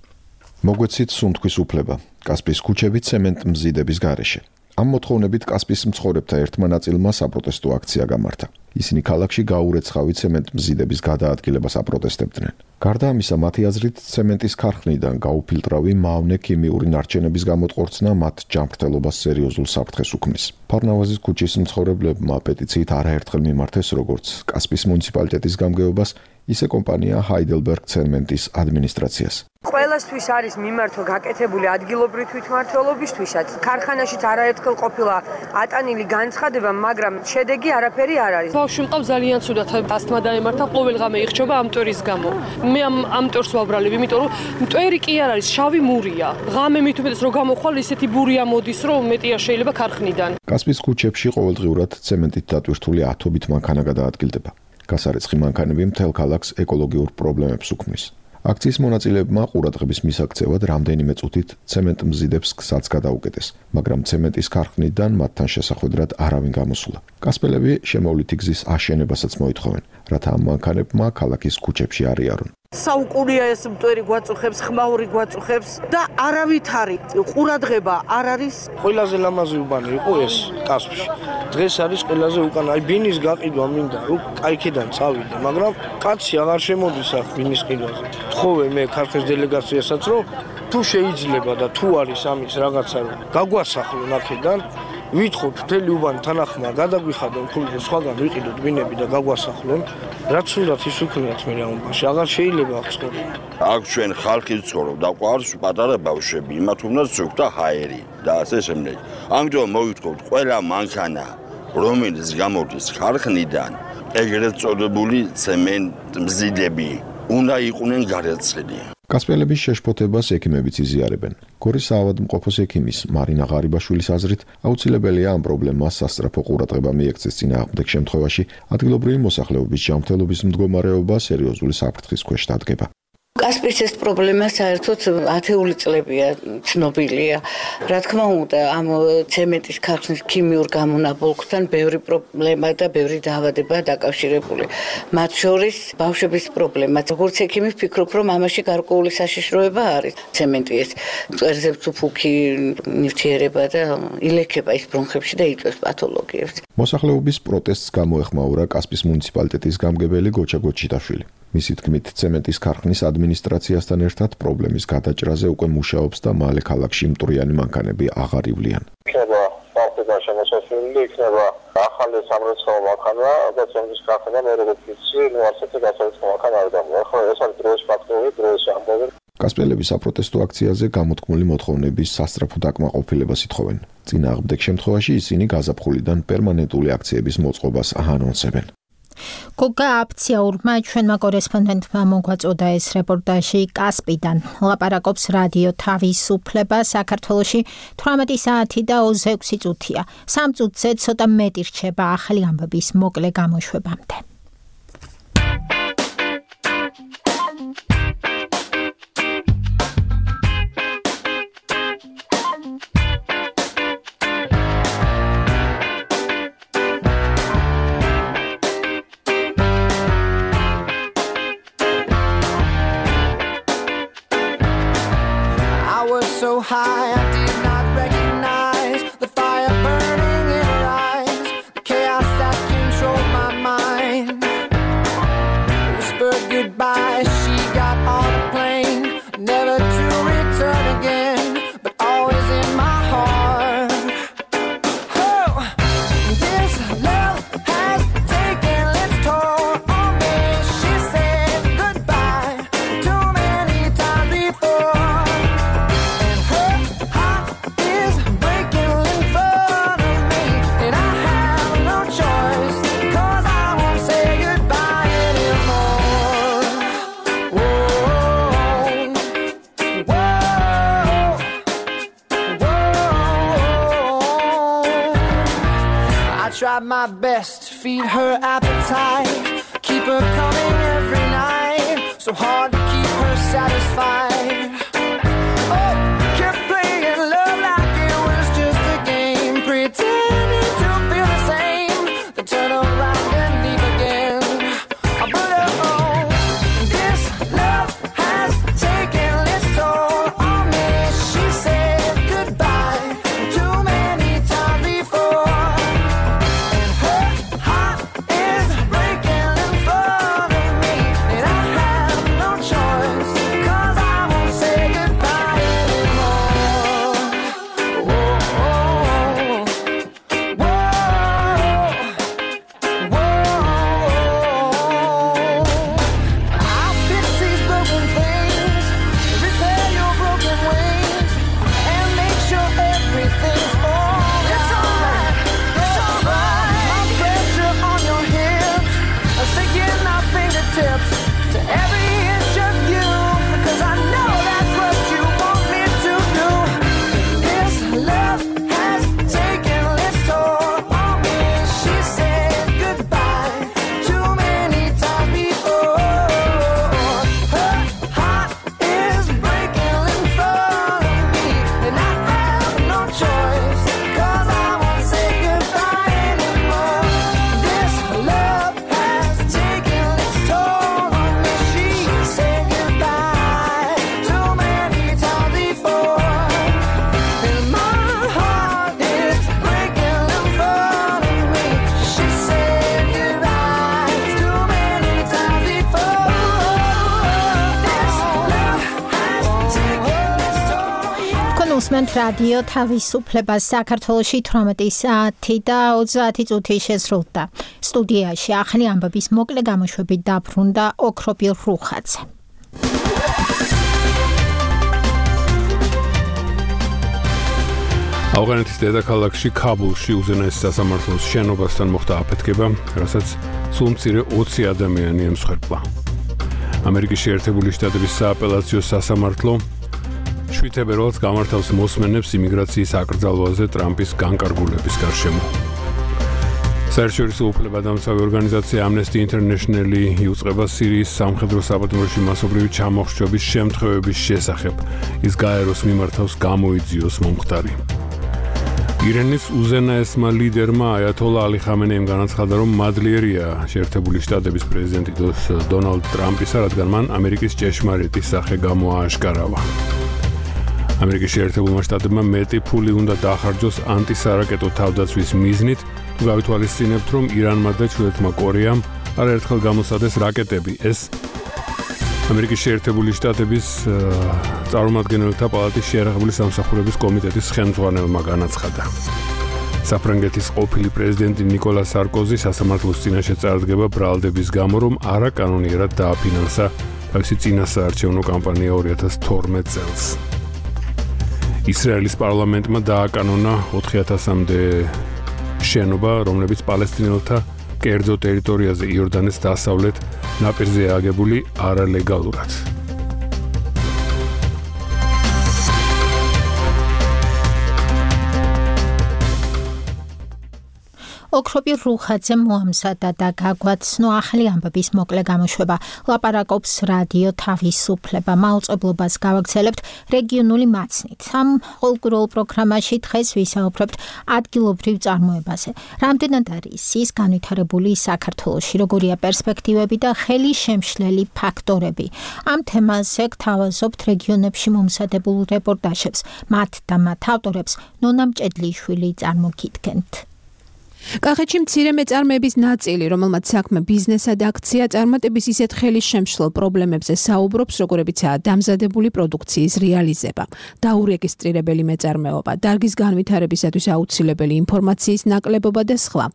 მოგვეცით სუნთქვის უფლება. კასპის ქუჩები ცემენტ მზიდების გარეშე. ამ მოთხოვნებით კასპის მცხოვრებთა ერთმა ნაწილმა საპროტესტო აქცია გამართა. ისინი ქალაქში გაურეცხავი ცემენტ მზიდების გადაადგილებას აპროტესტებდნენ. გარდა ამისა, მათი აზრით, ცემენტის ქარხნიდან გაუფილტრავი მავნე ქიმიური ნარჩენების გამოტყორცნა მათ ჯანმრთელობას სერიოზულ საფრთხეს უქმნის. ფარნავაზის ქუჩის მცხოვრებლებმა პეტიციით არაერთხელ მიმართეს როგორც კასპის მუნიციპალიტეტის გამგეობას, ისე კომპანია Heidelberg ცემენტის ადმინისტრაციას. ყველასთვის არის მიმართვა გაკეთებული ადგილობრივი თვითმმართველობისთვისაც. ქარხანაშიც არაერთხელ ყოფილა ატანილი განცხადება, მაგრამ შედეგი არაფერი არ არის. ბავშვი მყავს ძალიან ცუდად, ასთმა დაემართა, ყოველღამე იხჭობა ამ მტვერის გამო. მე ამ მტვერს ვაბრალებ, იმიტომ რომ მტვერი კი არ არის, შავი მურია. ღამე მით უმეტეს რომ გამოხვალ, ისეთი ბურია მოდის, რომ მეტია შეიძლება ქარხნიდან. კასპის ქუჩებში ყოველდღიურად ცემენტით დატვირთული ათობით მანქანა გადაადგილდება. გასარეცხი მანქანები მთელ ქალაქს ეკოლოგიურ პრობლემებს უქმნის. აქციის მონაწილეებმა ყურადღების მისაქცევად რამდენიმე წუთით ცემენტ მზიდებს გზაც გადაუკეტეს, მაგრამ ცემენტის ქარხნიდან მათთან შესახვედრად არავინ გამოსულა. კასპელები შემოვლითი გზის აშენებასაც მოითხოვენ, რათა ამ მანქანებმა ქალაქის ქუჩებში არ იარონ. საუკუნეა ეს მტვერი გვაწუხებს, ხმაური გვაწუხებს და არავითარი ყურადღება არ არის. ყველაზე ლამაზი უბანი იყო ეს კასპში. დღეს არის ყველაზე უკან, აი ბინის გაყიდვა მინდა, რომ კაიქიდან წავიდე, მაგრამ კაცი აღარ შემოდის აქ ბინის ყიდვაზე. თხოვე მე ქართლის დელეგაციასაც, რომ თუ შეიძლება და თუ არის ამის რაღაცა, რომ გაგვასახლონ აქედან, ვითხოვთ მთელი უბანი თანახმა გადაგვიხადონ ფული სხვაგან ვიყიდოთ ბინები და გაგვასახლონ. რაც უნდათ ის უქმნიათ მე ამ უბანში, აღარ შეიძლება აქ ცხოვრება. აქ ჩვენ ხალხი ცხოვრობ და ყავს პატარა ბავშვები, იმათ უნდა ზოგდა ჰაერი და ასე შემდეგ. ამიტომ მოვითხოვთ ყველა მანქანა, რომელიც გამოდის ხარხნიდან, ეგრეთ წოდებული ცემენტ მზიდები, უნდა იყვნენ გარეცხილი. კასპიელების შეშფოთებას ექიმებიც იზიარებენ. გორის საავადმყოფოს ექიმის მარინა ღარიბაშვილის აზრით, აუცილებელია ამ პრობლემას სასწრაფო ყურადღება მიექცეს წინააღმდეგ შემთხვევაში, ადგილობრივი მოსახლეობის ჯანმრთელობის მდგომარეობა სერიოზული საფრთხის ქვეშ დადგება. კასპიის ეს პრობლემა საერთოდ ათეული წლებია ცნობილია. რა თქმა უნდა, ამ ცემენტის ქარხნის ქიმიურ გამონაბოლქვთან ბევრი პრობლემა და ბევრი დაავადება დაკავშირებული. მათ შორის ბავშვების პრობლემა. როგორც ექიმი ვფიქრობ, რომ ამაში გარკვეული საშიშროება არის. ცემენტი ეს მწვერზე მწუფუქი ნივთიერება და ილექება ის ბრონხებში და იწვევს პათოლოგიებს. მოსახლეობის პროტესტს გამოეხმაურა კასპიის მუნიციპალიტეტის გამგებელი გოჩა გოჩიტაშვილი. მისი თქმით, ცემენტის ქარხნის ადმინისტრაციასთან ერთად პრობლემის გადაჭრაზე უკვე მუშაობს და მალე ქალაქში მტვრიანი მანქანები აღარ ივლიან. იქნება პარტიდან შემოსასვლელი, იქნება ახალი სამრეცხაო მანქანა და ცემენტის ქარხნა მე როგორც ვიცი, ასეთი გასაუწყო მანქანა არ გამოვა. ხო, ეს არის დროის ფაქტორი, დროის ამბავი. კასპიელების საპროტესტო აქციაზე გამოთქმული მოთხოვნების სასწრაფო დაკმაყოფილებას ითხოვენ. წინააღმდეგ შემთხვევაში ისინი გაზაფხულიდან პერმანენტული აქციების მოწყობას აანონსებენ. გოგა აფციაურმა ჩვენმა კორესპონდენტმა მოგვაწოდა ეს რეპორტაჟი კასპიდან. ლაპარაკობს რადიო თავისუფლება საქართველოში 18 საათი და 26 წუთია. 3 წუთზე ცოტა მეტი რჩება ახალი ამბების მოკლე გამოშვებამდე. So high, I did not recognize the fire burning in her eyes, the chaos that controlled my mind. Whispered goodbye, she got on a plane, never to return again, but always in my heart. Oh, this love has taken its toll on me. She said goodbye too many times before. Tried my best to feed her appetite, keep her coming every night, so hard to keep her satisfied. Oh, kept playing love like it was just a game, pretending to feel the same, then turn around and leave again. But oh, this love has taken its toll on me. She said goodbye too many times before. Breaking in front of me, and I have no choice, 'cause I გისმენთ რადიო თავისუფლება საქართველოში 18 საათი და 30 წუთი შესრულდა. სტუდიაში ახალი ამბების მოკლე გამოშვებით დაბრუნდა ოქროპირ რუხაძე. ავღანეთის დედაქალაქში ქაბულში უზენაესი სასამართლოს შენობასთან მოხდა აფეთქება, რასაც სულ მცირე 20 ადამიანი ემსხვერპლა. ამერიკის შეერთებული შტატების სააპელაციო სასამართლო 7 თებერვალს გამართავს მოსმენებს იმიგრაციის აკრძალვაზე ტრამპის განკარგულების გარშემო. საერთაშორისო უფლებადამცავი ორგანიზაცია Amnesty International-ი იუწყება სირიის სამხედრო საბატონოში მასობრივი ჩამოხრჩობის შემთხვევების შესახებ. ის გაეროს მიმართავს გამოიძიოს მომხდარი. ირანის უზენაესმა ლიდერმა აიათოლა ალი ხამენეიმ განაცხადა, რომ მადლიერია შეერთებული შტატების პრეზიდენტი დონალდ ტრამპისა, რადგან მან ამერიკის ჭეშმარიტი სახე გამოააშკარავა. ამერიკის შეერთებულმა შტატებმა მეტი ფული უნდა დახარჯოს ანტისარაკეტო თავდაცვის მიზნით, თუ გავითვალისწინებთ, რომ ირანმა და ჩრდილოეთმა კორეამ არაერთხელ გამოსცადეს რაკეტები. ეს ამერიკის შეერთებული შტატების წარმომადგენელთა პალატის შეერაღებული სამსახურების კომიტეტის ხელმძღვანელმა განაცხადა. საფრანგეთის ყოფილი პრეზიდენტი ნიკოლა სარკოზი სასამართლოს წინაშე წარდგება ბრალდების გამო, რომ არაკანონიერად დააფინანსა თავისი წინასაარჩევნო კამპანია 2012 წელს. ისრაელის პარლამენტმა დააკანონა 4000-მდე შენობა, რომლებიც პალესტინელთა კერძო ტერიტორიაზე იორდანეს დასავლეთ ნაპირზე აგებული არალეგალურად. ოქროპირ რუხაძე მოამზადა და გაგვაცნო ახალი ამბების მოკლე გამოშვება. ლაპარაკობს რადიო თავისუფლება. მაუწყებლობას გავაგრძელებთ რეგიონული მაცნით. ამ ყოველკვირეულ პროგრამაში დღეს ვისაუბრებთ ადგილობრივ წარმოებაზე. რამდენად არის ის განვითარებული საქართველოში, როგორია პერსპექტივები და ხელისშემშლელი ფაქტორები. ამ თემაზე გთავაზობთ რეგიონებში მომზადებულ რეპორტაჟებს. მათ და მათ ავტორებს ნონა მჭედლიშვილი წარმოგიდგენთ. კახეთში მცირე მეწარმეების ნაწილი, რომელმაც საქმე ბიზნესად აქცია, წარმატების ისეთ ხელისშემშლელ პრობლემებზე საუბრობს, როგორებიცაა დამზადებული პროდუქციის რეალიზება, დაურეგისტრირებელი მეწარმეობა, დარგის განვითარებისათვის აუცილებელი ინფორმაციის ნაკლებობა და სხვა.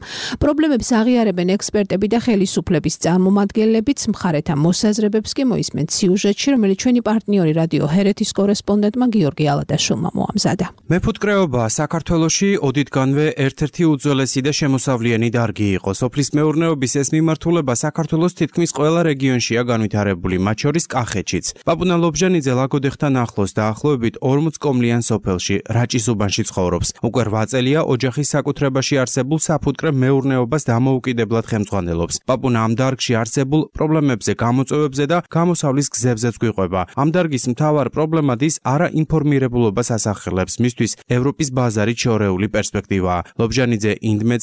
პრობლემებს აღიარებენ ექსპერტები და ხელისუფლების წარმომადგენლებიც, მხარეთა მოსაზრებებს კი მოისმენთ სიუჟეტში, რომელიც ჩვენი პარტნიორი რადიო ჰერეთის კორესპონდენტმა გიორგი ალადაშვილმა მოამზადა. მეფუტკრეობა საქართველოში ოდითგანვე ერთ-ერთი უძველესი და შემოსავლიანი დარგი იყო. სოფლის მეურნეობის ეს მიმართულება საქართველოს თითქმის ყველა რეგიონშია განვითარებული, მათ შორის კახეთშიც. პაპუნა ლობჟანიძე ლაგოდეხთან ახლოს დაახლოებით 40 კომლიან სოფელში, რაჭის უბანში ცხოვრობს. უკვე 8 წელია ოჯახის საკუთრებაში არსებულ საფუტკრე მეურნეობას დამოუკიდებლად ხელმძღვანელობს. პაპუნა ამ დარგში არსებულ პრობლემებზე, გამოწვევებზე და გამოსავლის გზებზეც გვიყვება. ამ დარგის მთავარ პრობლემად ის არაინფორმირებულობას ასახელებს, მისთვის ევროპის ბაზარით შორეული პერსპექტივაა. ლობჟანიძე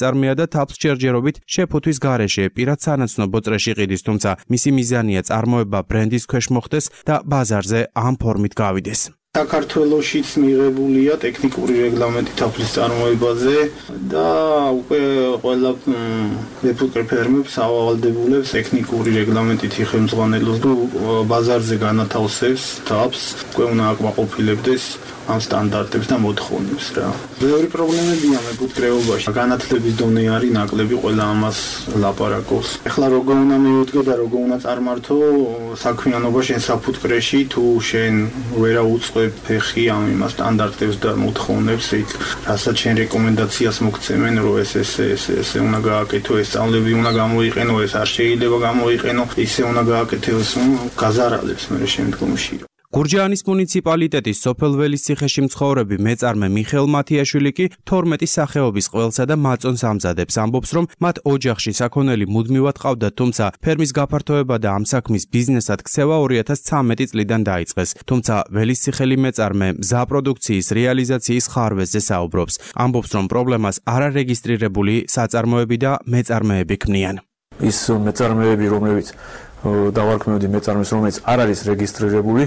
მეწარმეა და თავს ჯერჯერობით შეფუთვის გარეშე პირად სანაცნობო წრეში ყიდის, თუმცა მისი მიზანია წარმოება ბრენდის ქვეშ მოხდეს და ბაზარზე ამ ფორმით გავიდეს. საქართველოშიც მიღებულია ტექნიკური რეგლამენტი თაფლის წარმოებაზე და უკვე ყველა მეფუტკრე ფერმებს ავალდებულებს ტექნიკური რეგლამენტით ხელმძღვანელობს და ბაზარზე განათავსებს თავს, უკვე უნდა აკმაყოფილებდეს ამ სტანდარტებს და მოთხოვნებს რა. ბევრი პრობლემებია მეფუტკრეობაში. განათლების დონე არის ნაკლები, ყველა ამას ლაპარაკობს. ეხლა როგორ უნდა მივიდგე და როგორ უნდა წარმართო საქმიანობა შენ საფუტკრეში, თუ შენ ვერა უწყებ ფეხი ამ იმას სტანდარტებს და მოთხოვნებს, რასაც შენ რეკომენდაციას მოგცემენ, რომ ეს უნდა გააკეთო, ეს სწავლები უნდა გამოიყენო, ეს არ შეიძლება გამოიყენო, ისე უნდა გააკეთოს, გაზარალებს მე შემდგომში. გურჯაანის მუნიციპალიტეტის სოფელველის ციხეში მცხოვრები მეწარმე მიხეილ მათიაშვილი კი 12 სახეობის ყველსა და მაწონს ამზადებს. ამბობს, რომ მათ ოჯახში საქონელი მუდმივად ყავდათ, თუმცა ფერმის გაფართოება და ამ საქმის ბიზნესად ქცევა 2013 წლიდან დაიწყეს. თუმცა ველისციხელი მეწარმე მზა პროდუქციის რეალიზაციის ხარვეზზე საუბრობს. ამბობს, რომ პრობლემას არარეგისტრირებული საწარმოები და მეწარმეები ქმნიან. ის მეწარმეები, რომლებიც დავარქმევდი მეწარმეს, რომელიც არ არის რეგისტრირებული,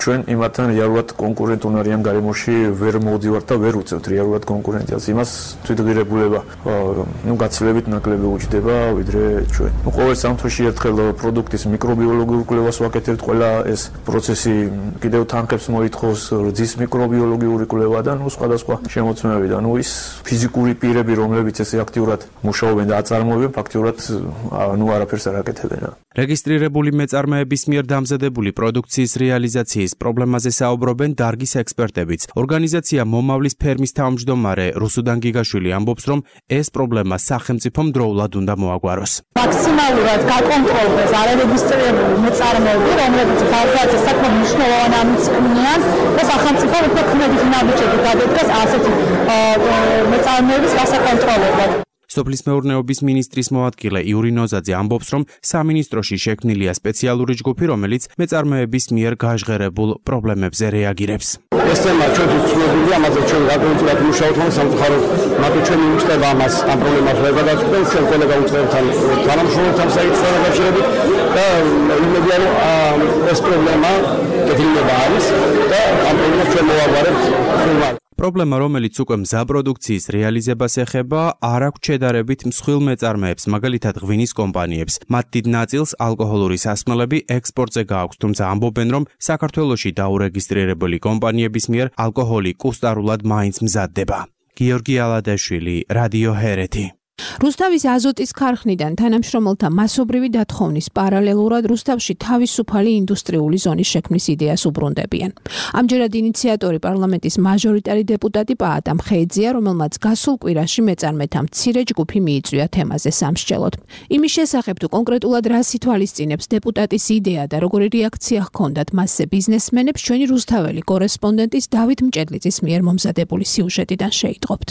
ჩვენ იმათთან რეალურად კონკურენტუნარიან გარემოში ვერ მოვდივართ და ვერ უწევთ რეალურად კონკურენციას. იმას თვითღირებულება გაცილებით ნაკლები უჩდება ვიდრე ჩვენ. ყოველ სამთვეში ერთხელ პროდუქტის მიკრობიოლოგიურ კვლევას ვაკეთებთ, ყველა ეს პროცესი კიდევ თანხებს მოითხოვს, რძის მიკრობიოლოგიური კვლევა და სხვადასხვა შემოწმებები და ის ფიზიკური პირები, რომლებიც ესე აქტიურად მუშაობენ და აწარმოებენ, ფაქტიურად არაფერს არ აკეთებენ. რეგისტრირებული მეწარმეების მიერ დამზადებული პროდუქციის რეალიზაციის პრობლემაზე საუბრობენ დარგის ექსპერტებიც. ორგანიზაცია მომავლის ფერმის თავმჯდომარე რუსუდან გიგაშვილი ამბობს, რომ ეს პრობლემა სახელმწიფომ დროულად უნდა მოაგვაროს. მაქსიმალურად გაკონტროლდეს არარეგისტრირებული მეწარმეები, რომლებიც ბაზარზე საკმაოდ მნიშვნელოვანი ამის ქმნიან და სახელმწიფომ უფრო ქმედის ნაბიჯები გადადგეს ასეთი მეწარმეების გასაკონტროლებლად. სოფლის მეურნეობის მინისტრის მოადგილე იური ნოზაძე ამბობს, რომ სამინისტროში შექმნილია სპეციალური ჯგუფი, რომელიც მეწარმეების მიერ გაჟღერებულ პრობლემებზე რეაგირებს. ეს თემა ჩვენთვის ცნობილია, ამაზე ჩვენ გაკონტროლად მუშაობთ, მაგრამ სამწუხაროდ მათი ჩვენი უწყება ამას ამ პრობლემას ვერ გადაწყვეტს, ჩვენ კოლეგა უწყებთან თანამშრომლებთან საერთოდ დაკავშირებით და იმედია, რომ ეს პრობლემა კეთილდება არის და ამ პრობლემას ჩვენ მოვაგვარებთ სულ. პრობლემა, რომელიც უკვე მზა პროდუქციის რეალიზებას ეხება, არ აქვს შედარებით მსხვილ მეწარმეებს, მაგალითად ღვინის კომპანიებს. მათ დიდ ნაწილს ალკოჰოლური სასმელები ექსპორტზე გააქვს, თუმცა ამბობენ, რომ საქართველოში დაურეგისტრირებული კომპანიების მიერ ალკოჰოლი კუსტარულად მაინც მზადდება. გიორგი ალადაშვილი, რადიო ჰერეთი. რუსთავის აზოტის ქარხნიდან თანამშრომელთა მასობრივი დათხოვნის პარალელურად რუსთავში თავისუფალი ინდუსტრიული ზონის შექმნის იდეას უბრუნდებიან. ამჯერად ინიციატორი პარლამენტის მაჟორიტარი დეპუტატი პაატა მხეიძეა, რომელმაც გასულ კვირაში მეწარმეთა მცირე ჯგუფი მიიწვია თემაზე სამსჯელოდ. იმის შესახებ თუ კონკრეტულად რას ითვალისწინებს დეპუტატის იდეა და როგორი რეაქცია ჰქონდათ მასზე ბიზნესმენებს, ჩვენი რუსთაველი კორესპონდენტის დავით მჭედლიძის მიერ მომზადებული სიუჟეტიდან შეიტყობთ.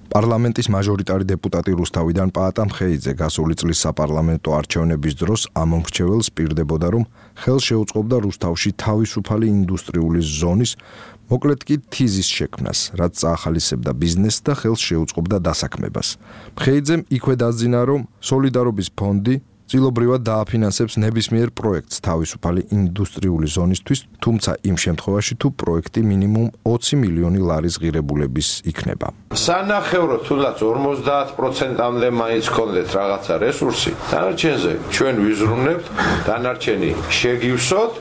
პარლამენტის მაჟორიტარი დეპუტატი რუსთავიდან პაატა მხეიძე გასული წლის საპარლამენტო არჩევნების დროს ამომრჩეველს პირდებოდა, რომ ხელს შეუწყობდა რუსთავში თავისუფალი ინდუსტრიული ზონის, მოკლედ კი თიზის შექმნას, რაც წაახალისებდა ბიზნესს და ხელს შეუწყობდა დასაქმებას. მხეიძემ იქვე დაძინა, რომ სოლიდარობის ფონდი წილობრივად დააფინანსებს ნებისმიერ პროექტს თავისუფალი ინდუსტრიული ზონისთვის, თუმცა იმ შემთხვევაში თუ პროექტი მინიმუმ 20 მილიონი ლარის ღირებულების იქნება. სანახევროდ თუნდაც 50%-მდე მაინც გქონდეთ რაღაცა რესურსი, დანარჩენზე ჩვენ ვიზრუნებთ, დანარჩენი შეგივსოთ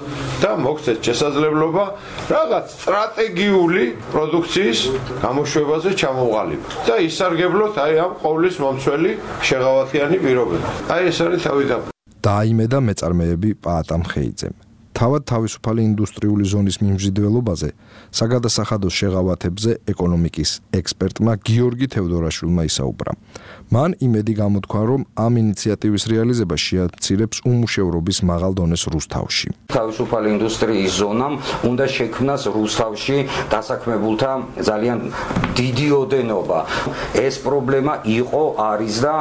და მოგცეთ შესაძლებლობა რაღაც სტრატეგიული პროდუქციის გამოშვებაზე ჩამოვყალიბოთ და ისარგებლოთ აი ამ ყოვლის მომცველი შეღავათიანი პირობები. აი ეს არის დაიმედა მეწარმეები პაატა მხეიძემ. თავად თავისუფალი ინდუსტრიული ზონის მიმზიდველობაზე საგადასახადო შეღავათებზე ეკონომიკის ექსპერტმა გიორგი თევდორაშვილმა ისაუბრა. მან იმედი გამოთქვა, რომ ამ ინიციატივის რეალიზება შეაცილებს უმუშევრობის მაღალ დონეს რუსთავში. თავისუფალი ინდუსტრიის ზონამ უნდა შექმნას რუსთავში დასაქმებულთა ძალიან დიდი ოდენობა. ეს პრობლემა იყო, არის და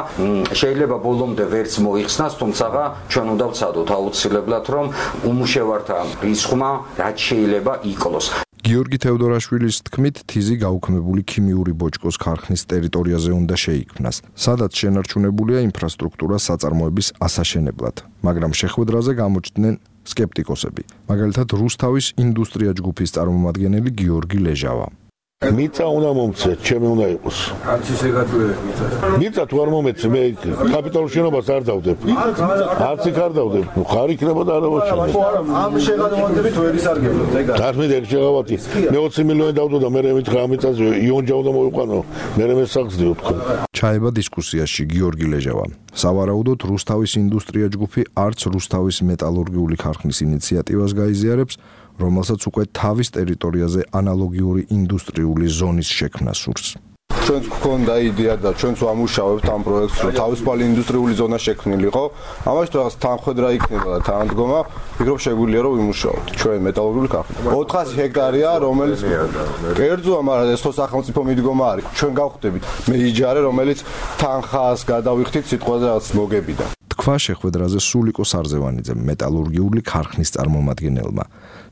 შეიძლება ბოლომდე ვერც მოიხსნას, თუმცა ჩვენ უნდა ვცადოთ აუცილებლად, რომ უმუშევართა რისხმა რაც შეიძლება იკლოს. გიორგი თევდორაშვილის თქმით, თიზი გაუქმებული ქიმიური ბოჭკოს ქარხნის ტერიტორიაზე უნდა შეიქმნას, სადაც შენარჩუნებულია ინფრასტრუქტურა საწარმოების ასაშენებლად, მაგრამ შეხვედრაზე გამოჩნდნენ სკეპტიკოსები, მაგალითად რუსთავის ინდუსტრია ჯგუფის წარმომადგენელი გიორგი ლეჟავა. მიწა უნდა მომცეთ, ჩემი უნდა იყოს. არც ისე გაწევია მიწა. მიწა თუ არ მომეცე, მე კაპიტალურ შენობას არ დავდებ. არც იქ არ დავდებ. ხარ იქნება და არა მოჩვენე. ამ შეღავათებით ვერ ისარგებლოთ, ეგა. თარგმნით ეგ შეღავათი. მე 20 მილიონი დავდო და მე მითხრა ამ მიწაზე იონჯაო და მოვიყვანო. მე მე საგზდიო თქო. ჩაება დისკუსიაში გიორგი ლეჟავა. სავარაუდოდ რუსთავის ინდუსტრია ჯგუფი არც რუსთავის მეტალურგიული ქარხნის ინიციატივას გაიზიარებს, რომელსაც უკვე თავის ტერიტორიაზე ანალოგიური ინდუსტრიული ზონის შექმნა სურს. ჩვენც გვქონდა იდეა და ჩვენც ვამუშავებთ ამ პროექტს, რომ თავისუფალი ინდუსტრიული ზონა შექმნილიყო. ამაში რაღაც თანხwebdriver იქნება და თანადგომა, ვფიქრობ შეგვიძლია რომ ვიმუშაოთ. ჩვენ მეტალურგიული ქარხნა. 400 ჰექტარია, რომელიც კერძოა, მაგრამ ეს ხო სახელმწიფო მიდგომა არის. ჩვენ გავხდებით მეიჯარე, რომელიც თანხას გადავიხდით სიტყვაზე რაღაც მოგებიდან. თქვა შეხვედრაზე სულიკო სარზევანიძემ, მეტალურგიული ქარხნის წარმომადგენელმა.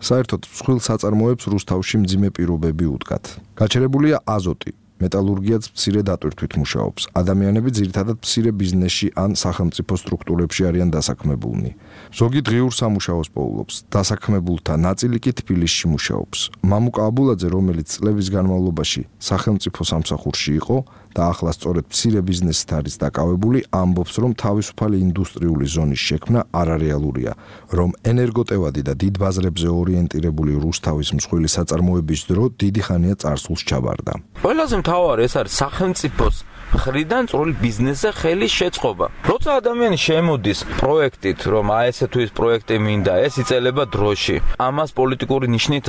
საერთოდ მსხვილ საწარმოებს რუსთავში მძიმე პირობები უდგათ. გაჩერებულია აზოტი, მეტალურგიაც მცირე დატვირთვით მუშაობს. ადამიანები ძირითადად მცირე ბიზნესში ან სახელმწიფო სტრუქტურებში არიან დასაქმებულნი. ზოგი დღიურ სამუშაოს პოულობს. დასაქმებულთა ნაწილი კი თბილისში მუშაობს. მამუკა აბულაძე, რომელიც წლების განმავლობაში სახელმწიფო სამსახურში იყო და ახლა სწორედ მცირე ბიზნესით არის დაკავებული, ამბობს, რომ თავისუფალი ინდუსტრიული ზონის შექმნა არარეალურია, რომ ენერგოტევადი და დიდ ბაზრებზე ორიენტირებული რუსთავის მსხვილი საწარმოების დრო დიდი ხანია წარსულს ჩაბარდა. ყველაზე მთავარი ეს არის სახელმწიფოს მხრიდან წვრილი ბიზნესზე ხელის შეწყობა. როცა ადამიანი შემოდის პროექტით, რომ ესე თუ ის პროექტი მინდა, ეს იწელება დროში. ამას პოლიტიკური ნიშნით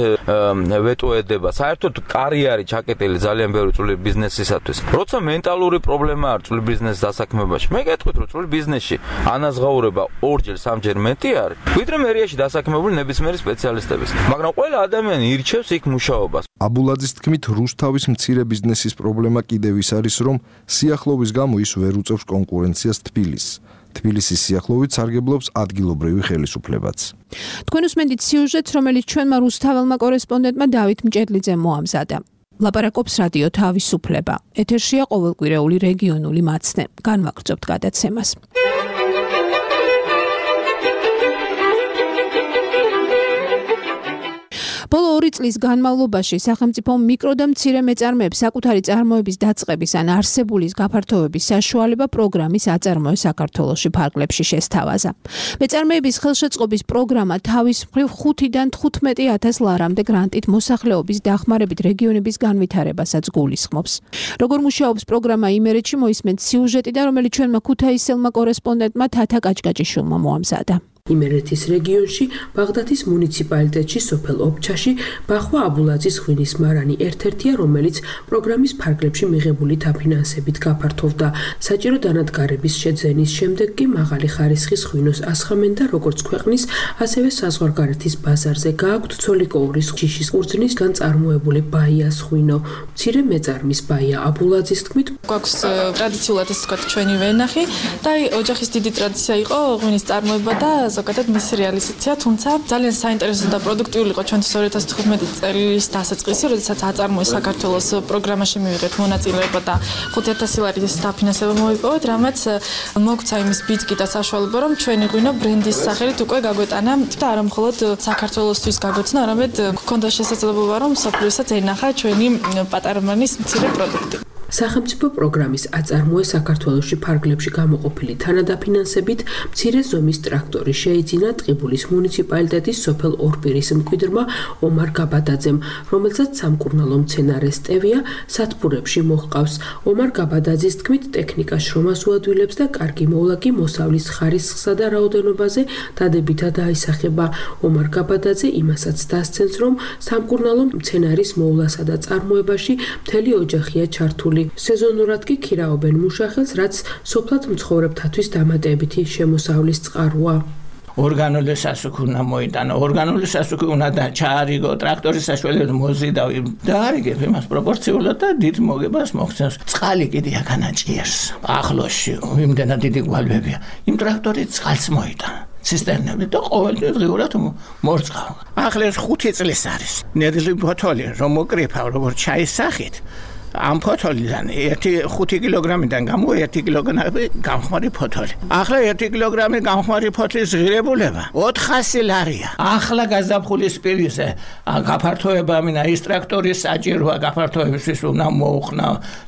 ვეტოედება. საერთოდ კარიერა ჩაკეტილი ძალიან ბევრი წვრილი ბიზნესისათვის. როცა მენტალური პრობლემა არის წვრილი ბიზნესის დასაქმებაში, მე გეტყვით, რომ წვრილი ბიზნესში ანაზღაურება 2-ჯერ 3-ჯერ მეტი არის, ვიდრე მერიაში დასაქმებული ნებისმიერი სპეციალისტების. მაგრამ ყველა ადამიანი ირჩევს იქ მუშაობას. აბულაძის თქმით, რუსთავის მცირე ბიზნესის პრობლემა კიდევ ის არის, რომ სიახლოვის გამო ის ვერ უწევს კონკურენციას თბილისს. თბილისის სიახლოვით სარგებლობს ადგილობრივი ხელისუფლებაც. თქვენ უსმენთ სიუჟეტს, რომელიც ჩვენმა რუსთაველმა კორესპონდენტმა დავით მჭედლიძემ მოამზადა. ლაპარაკობს რადიო თავისუფლება. ეთერშია ყოველკვირეული რეგიონული მაცნე. განვაგრძობთ გადაცემას. ბოლო 2 წლის განმავლობაში სახელმწიფო მიკრო და მცირე მეწარმეებს საკუთარი წარმოების დაწყების ან არსებულის გაფართოების საშუალება პროგრამის აწარმოე საქართველოში ფარგლებში შესთავაზა. მეწარმეების ხელშეწყობის პროგრამა თავის მხრივ 5-დან 15,000 ლარამდე გრანტით მოსახლეობის დახმარებით რეგიონების განვითარებასაც გულისხმობს. როგორ მუშაობს პროგრამა იმერეთში მოისმენთ სიუჟეტიდან, რომელიც ჩვენმა ქუთაისელმა კორესპონდენტმა თათა კაჭკაჭიშვილმა მოამზადა. იმერეთის რეგიონში, ბაღდათის მუნიციპალიტეტში, სოფელ ობჩაში, ბახვა აბულაძის ღვინის მარანი ერთ-ერთია, რომელიც პროგრამის ფარგლებში მიღებული დაფინანსებით გაფართოვდა. საჭირო დანადგარების შეძენის შემდეგ კი მაღალი ხარისხის ღვინოს ასხამენ და როგორც ქვეყნის, ასევე საზღვარგარეთის ბაზარზე გააქვთ ცოლიკოურის ჯიშის ყურძნისგან წარმოებული ბაიას ღვინო. მცირე მეწარმის ბაია აბულაძის თქმით, გვაქვს ტრადიციულად ეს თქვა ჩვენი ვენახი და ოჯახის დიდი ტრადიცია იყო ღვინის წარმოება და ზოგადად მისი რეალიზაცია, თუმცა ძალიან საინტერესო და პროდუქტიული იყო ჩვენთვის 2015 წლის დასაწყისი, როდესაც აწარმოეს საქართველოს პროგრამაში მივიღეთ მონაწილეობა და 5,000 ლარის დაფინანსება მოიპოვეთ, რამაც მოგცა იმის ბიძგი და საშუალება, რომ ჩვენი ღვინო ბრენდის სახელით უკვე გაგვეტანა და არა მხოლოდ საქართველოსთვის გაგვეცნა, არამედ გქონდა შესაძლებლობა, რომ მსოფლიოსაც ენახა ჩვენი პატარა მანის მცირე პროდუქტი. სახელმწიფო პროგრამის აწარმოე საქართველოში ფარგლებში გამოყოფილი თანადაფინანსებით მცირე ზომის ტრაქტორი შეიძინა ტყიბულის მუნიციპალიტეტის სოფელ ორპირის მკვიდრმა ომარ გაბადაძემ, რომელსაც სამკურნალო მცენარე სტევია სათბურებში მოჰყავს. ომარ გაბადაძის თქმით, ტექნიკა შრომას უადვილებს და კარგი მოვლა კი მოსავლის ხარისხსა და რაოდენობაზე დადებითად აისახება. ომარ გაბადაძე იმასაც დასცენს, რომ სამკურნალო მცენარის მოვლასა და წარმოებაში მთელი ოჯახია ჩართული. სეზონურად კი ქირაობენ მუშახელს, რაც სოფლად მცხოვრებთათვის დამატებითი შემოსავლის წყაროა. ორგანული სასუქი უნდა მოიტანო, ორგანული სასუქი უნდა ჩაარიგო, ტრაქტორის საშუალებით მოზიდავ და არიგებ იმას პროპორციულად და დიდ მოგებას მოხსენს. წყალი კიდე აკანაჭიერს. ახლოსში იმდენად დიდი გვალვებია. იმ ტრაქტორით წყალს მოიტანა. ცისტერნები და ყოველდღე დღიურად მორწყავ. ახლა ეს 5 წლის არის. ნედლი ბოთოლი რომ მოკრიფავ როგორც ჩაის სახით. ამ ფოთოლიდან 5 კილოგრამიდან გამო 1 კილოგრამი გამხმარი ფოთოლი. ახლა 1 კილოგრამი გამხმარი ფოთლის ღირებულება 400 ლარია. ახლა გაზაფხულის პირისზე გაფართოება მინდა ის ტრაქტორის საჭიროა გაფართოებისთვის უნდა მოუხნა,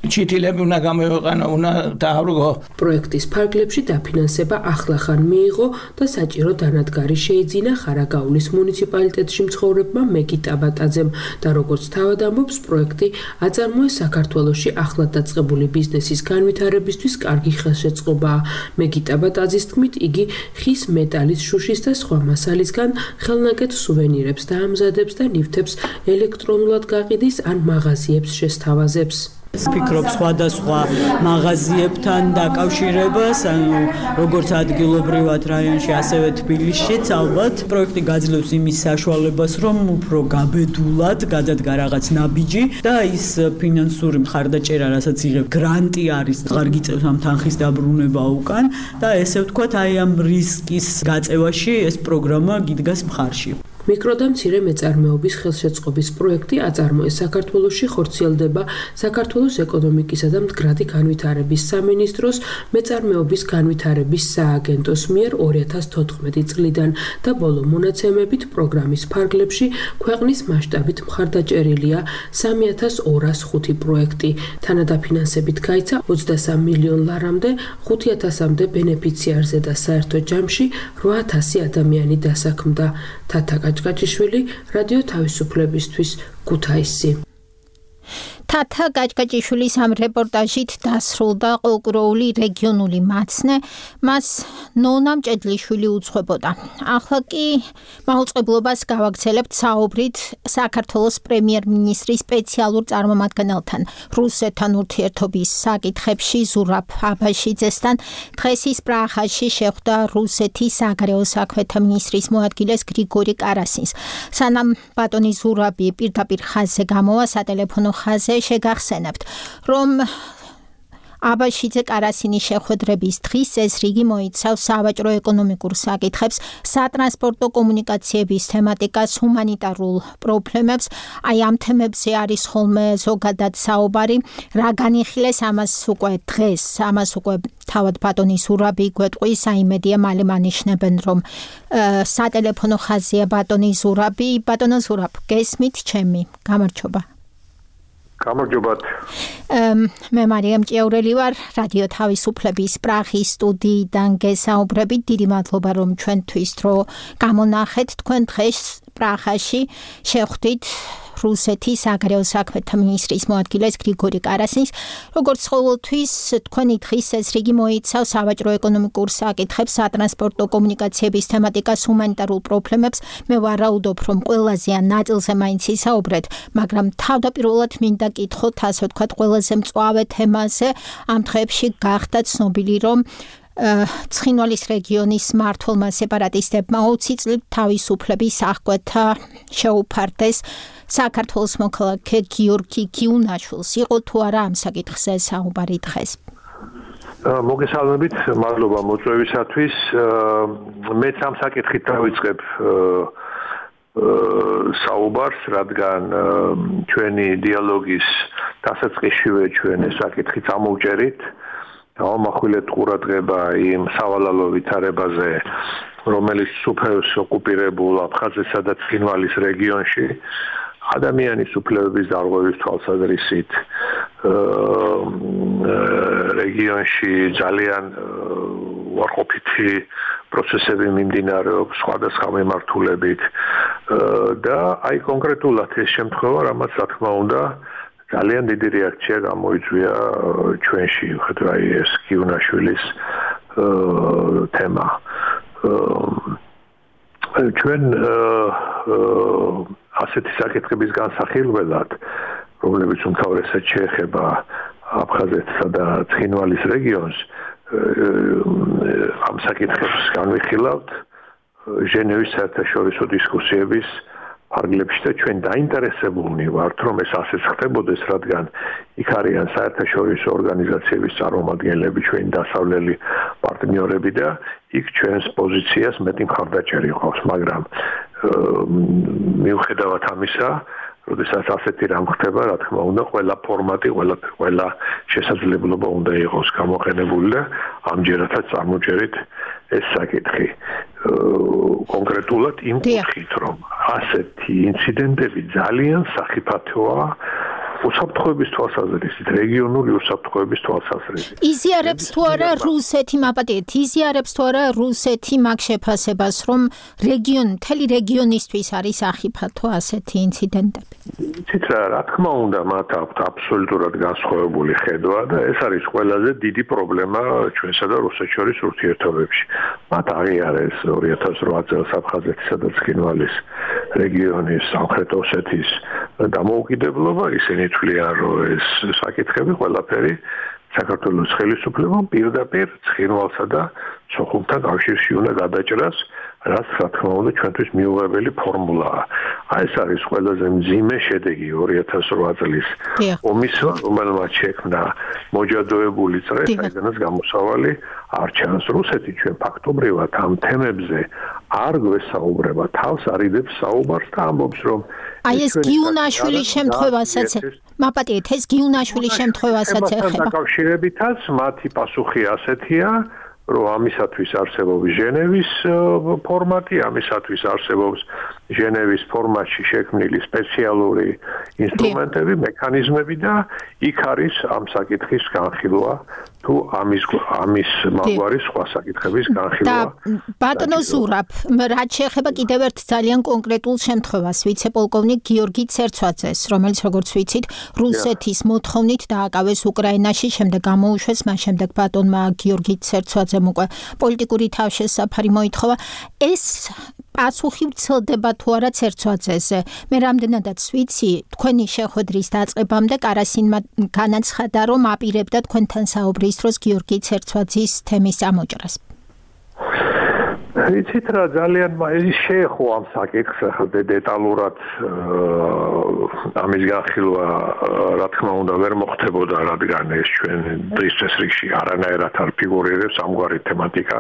ჩითილები უნდა გამოვიყენო, უნდა დაავრგო. პროექტის ფარგლებში დაფინანსება ახლახან მიიღო და საჭირო დანადგარი შეიძინა ხარაგაულის მუნიციპალიტეტში მცხოვრებმა მეგი ტაბატაძემ და როგორც თავად ამბობს, პროექტი აწარმოეს საქართველოში ახლად დაწყებული ბიზნესის განვითარებისთვის კარგი ხელშეწყობაა. მეგი ტაბატაძის თქმით, იგი ხის, მეტალის, შუშის და სხვა მასალისგან ხელნაკეთ სუვენირებს დაამზადებს და ნივთებს ელექტრონულად გაყიდის ან მაღაზიებს შესთავაზებს. ფიქრობ სხვადასხვა მაღაზიებთან დაკავშირებას, ანუ როგორც ადგილობრივად რაიონში, ასევე თბილისშიც ალბათ პროექტი გაძლევს იმის საშუალებას, რომ უფრო გაბედულად გადადგა რაღაც ნაბიჯი და ის ფინანსური მხარდაჭერა, რასაც იღებ, გრანტი არის, აღარ გიწევს ამ თანხის დაბრუნება უკან და ესე ვთქვათ, აი ამ რისკის გაწევაში ეს პროგრამა გიდგას მხარში. მიკრო და მცირე მეწარმეობის ხელშეწყობის პროექტი აწარმოეს საქართველოში, ხორციელდება საქართველოს ეკონომიკისა და მდგრადი განვითარების სამინისტროს მეწარმეობის განვითარების სააგენტოს მიერ 2014 წლიდან და ბოლო მონაცემებით პროგრამის ფარგლებში ქვეყნის მასშტაბით მხარდაჭერილია 3205 პროექტი. თანადაფინანსებით გაიცა 23 მილიონ ლარამდე, 5000-მდე ბენეფიციარზე და საერთო ჯამში 8000 ადამიანი დასაქმდა. თათა გაჭგაჭიშვილი, რადიო თავისუფლებისთვის, ქუთაისი. თათა გაჭგაჭიშვილის ამ რეპორტაჟით დასრულდა ყოლკუროული რეგიონული მაცნე, მას ნონა მჭედლიშვილი უძღვებოდა. ახლა კი მაუწყებლობას გავაგრძელებთ საუბრით საქართველოს პრემიერ-მინისტრის სპეციალურ წარმომადგენელთან რუსეთთან ურთიერთობის საკითხებში ზურაბ აბაშიძესთან. დღეს ის პრაღაში შეხვდა რუსეთის საგარეო საქმეთა მინისტრის მოადგილეს გრიგორი კარასინს. სანამ ბატონი ზურაბი პირდაპირ ხაზზე გამოვა, სატელეფონო ხაზზე შეგახსენებთ, რომ აბაშიძე კარასინის შეხვედრების დღის წესრიგი მოიცავს სავაჭრო ეკონომიკურ საკითხებს, სატრანსპორტო კომუნიკაციების თემატიკას, ჰუმანიტარულ პრობლემებს. აი ამ თემებზე არის ხოლმე ზოგადად საუბარი, რა განიხილეს ამას უკვე თავად ბატონი ზურაბი გვეტყვის, საიმედია მალე მანიშნებენ, რომ სატელეფონო ხაზია ბატონი ზურაბი. ბატონო ზურაბ, გესმით ჩემი? გამარჯობა. გამარჯობათ. მე მარიამ ჭიაურელი ვარ, რადიო თავისუფლების პრაღის სტუდიიდან გესაუბრებით. დიდი მადლობა, რომ ჩვენთვის დრო გამონახეთ. თქვენ დღეს პრაღაში შეხვდით რუსეთის საგარეო საქმეთა მინისტრის მოადგილეს გრიგორი კარასინს. როგორც ყოველთვის, თქვენი დღის წესრიგი მოიცავს სავაჭრო ეკონომიკურ საკითხებს, სატრანსპორტო კომუნიკაციების თემატიკას, ჰუმანიტარულ პრობლემებს. მე ვარაუდობ, რომ ყველაზე ან ნაწილზე მაინც ისაუბრეთ, მაგრამ თავდაპირველად მინდა კითხოთ, ასე ვთქვათ, ყველაზე მწვავე თემაზე. ამ დღეებში გახდა ცნობილი, რომ ცხინვალის რეგიონის მმართველმა სეპარატისტებმა 20 წლით თავისუფლების აღკვეთა შეუფარდეს. საქართველოს მოქალაქე გიორგი გიუნაშვილს იყო თუ არა ამ საკითხზე საუბარი დღეს? მოგესალმებით, მადლობა მოწვევისათვის. მეც ამ საკითხით დავიწყებ საუბარს, რადგან ჩვენი დიალოგის დასაწყისშივე ჩვენ ეს საკითხი წამოვჭერით. დავამახვილეთ ყურადღება იმ სავალალო ვითარებაზე, რომელიც სუფევს ოკუპირებულ აფხაზეთსა და ცხინვალის რეგიონში ადამიანის უფლებების დარღვევის თვალსაზრისით რეგიონში ძალიან უარყოფითი პროცესები მიმდინარეობს სხვადასხვა მიმართულებით და აი კონკრეტულად ეს შემთხვევა, რამაც რა თქმა უნდა ძალიან დიდი რეაქცია გამოიწვია ჩვენში, ხედავ ეს გიუნაშვილის თემა. ჩვენ ასეთი საკითხების განსახილველად, რომლებიც უმთავრესად შეეხება აფხაზეთსა და ცხინვალის რეგიონს, ამ საკითხებს განვიხილავთ ჟენევის საერთაშორისო დისკუსიების ფარგლებში და ჩვენ დაინტერესებულნი ვართ, რომ ეს ასეც ხდებოდეს, რადგან იქ არიან საერთაშორისო ორგანიზაციების წარმომადგენლები, ჩვენი დასავლელი პარტნიორები და იქ ჩვენს პოზიციას მეტი მხარდაჭერი ყავს, მაგრამ მიუხედავად ამისა, როდესაც ასეთი რამ ხდება, რა თქმა უნდა, ყველა ფორმატი, ყველა შესაძლებლობა უნდა იყოს გამოყენებული და ამჯერადაც წარმოჭერით ეს საკითხი. კონკრეტულად იმ კუთხით, რომ ასეთი ინციდენტები ძალიან სახიფათოა უსაფრთხოების თვალსაზრისით, რეგიონული უსაფრთხოების თვალსაზრისით. იზიარებს თუ არა რუსეთი, მაპატიეთ, იზიარებს თუ არა რუსეთი მაგ შეფასებას, რომ მთელი რეგიონისთვის არის სახიფათო ასეთი ინციდენტები? იცით რა თქმა უნდა, მათ აქვთ აბსოლუტურად განსხვავებული ხედვა და ეს არის ყველაზე დიდი პრობლემა ჩვენსა და რუსეთს შორის ურთიერთობებში. მათ აღიარეს 2008 წელს აფხაზეთისა და ცხინვალის რეგიონის სამხრეთ ოსეთის დამოუკიდებლობა, ისინი თვლიან, რომ ეს საკითხები ყველაფერი საქართველოს ხელისუფლებამ პირდაპირ ცხინვალსა და სოხუმთან კავშირში უნდა გადაჭრას, რაც რა თქმა უნდა ჩვენთვის მიუღებელი ფორმულაა. აი ეს არის ყველაზე მძიმე შედეგი 2008 წლის ომისა, რომელმაც შექმნა მოჯადოებული წრე, საიდანაც გამოსავალი არ ჩანს. რუსეთი ჩვენ ფაქტობრივად ამ თემებზე არ გვესაუბრება, თავს არიდებს საუბარს და ამბობს რომ აი ეს გიუნაშვილის შემთხვევასაც მაპატიეთ ეს გიუნაშვილის შემთხვევასაც ეხება. დაკავშირებითაც მათი პასუხი ასეთია რომ ამისათვის არსებობს ჟენევის ფორმატი, ამისათვის არსებობს ჟენევის ფორმატში შექმნილი სპეციალური ინსტრუმენტები, მექანიზმები და იქ არის ამ საკითხის განხილვა თუ ამის მაგვარი სხვა საკითხების განხილვა. ბატონო ზურაბ, რაც შეეხება კიდევ ერთ ძალიან კონკრეტულ შემთხვევას, ვიცე-პოლკოვნიკ გიორგი ცერცვაძეს, რომელიც როგორც ვიცით, რუსეთის მოთხოვნით დააკავეს უკრაინაში, შემდეგ გამოუშვეს, მას შემდეგ ბატონმა გიორგი ცერცვაძემ უკვე პოლიტიკური თავშესაფარი მოითხოვა. ეს პასუხი ვრცელდება თუ არა ცერცვაძეზე. მე რამდენადაც ვიცი, თქვენი შეხვედრის დაწყებამდე კარასინმა განაცხადა, რომ აპირებდა თქვენთან საუბრის დროს გიორგი ცერცვაძის თემის ამოჭრას. იცით რა ძალიან შეეხო ამ საკითხს ახლა დეტალურად ამის განხილვა რა თქმა უნდა ვერ მოხდებოდა, რადგან ეს ჩვენ დღის წესრიგში არანაირად არ ფიგურირებს ამგვარი თემატიკა.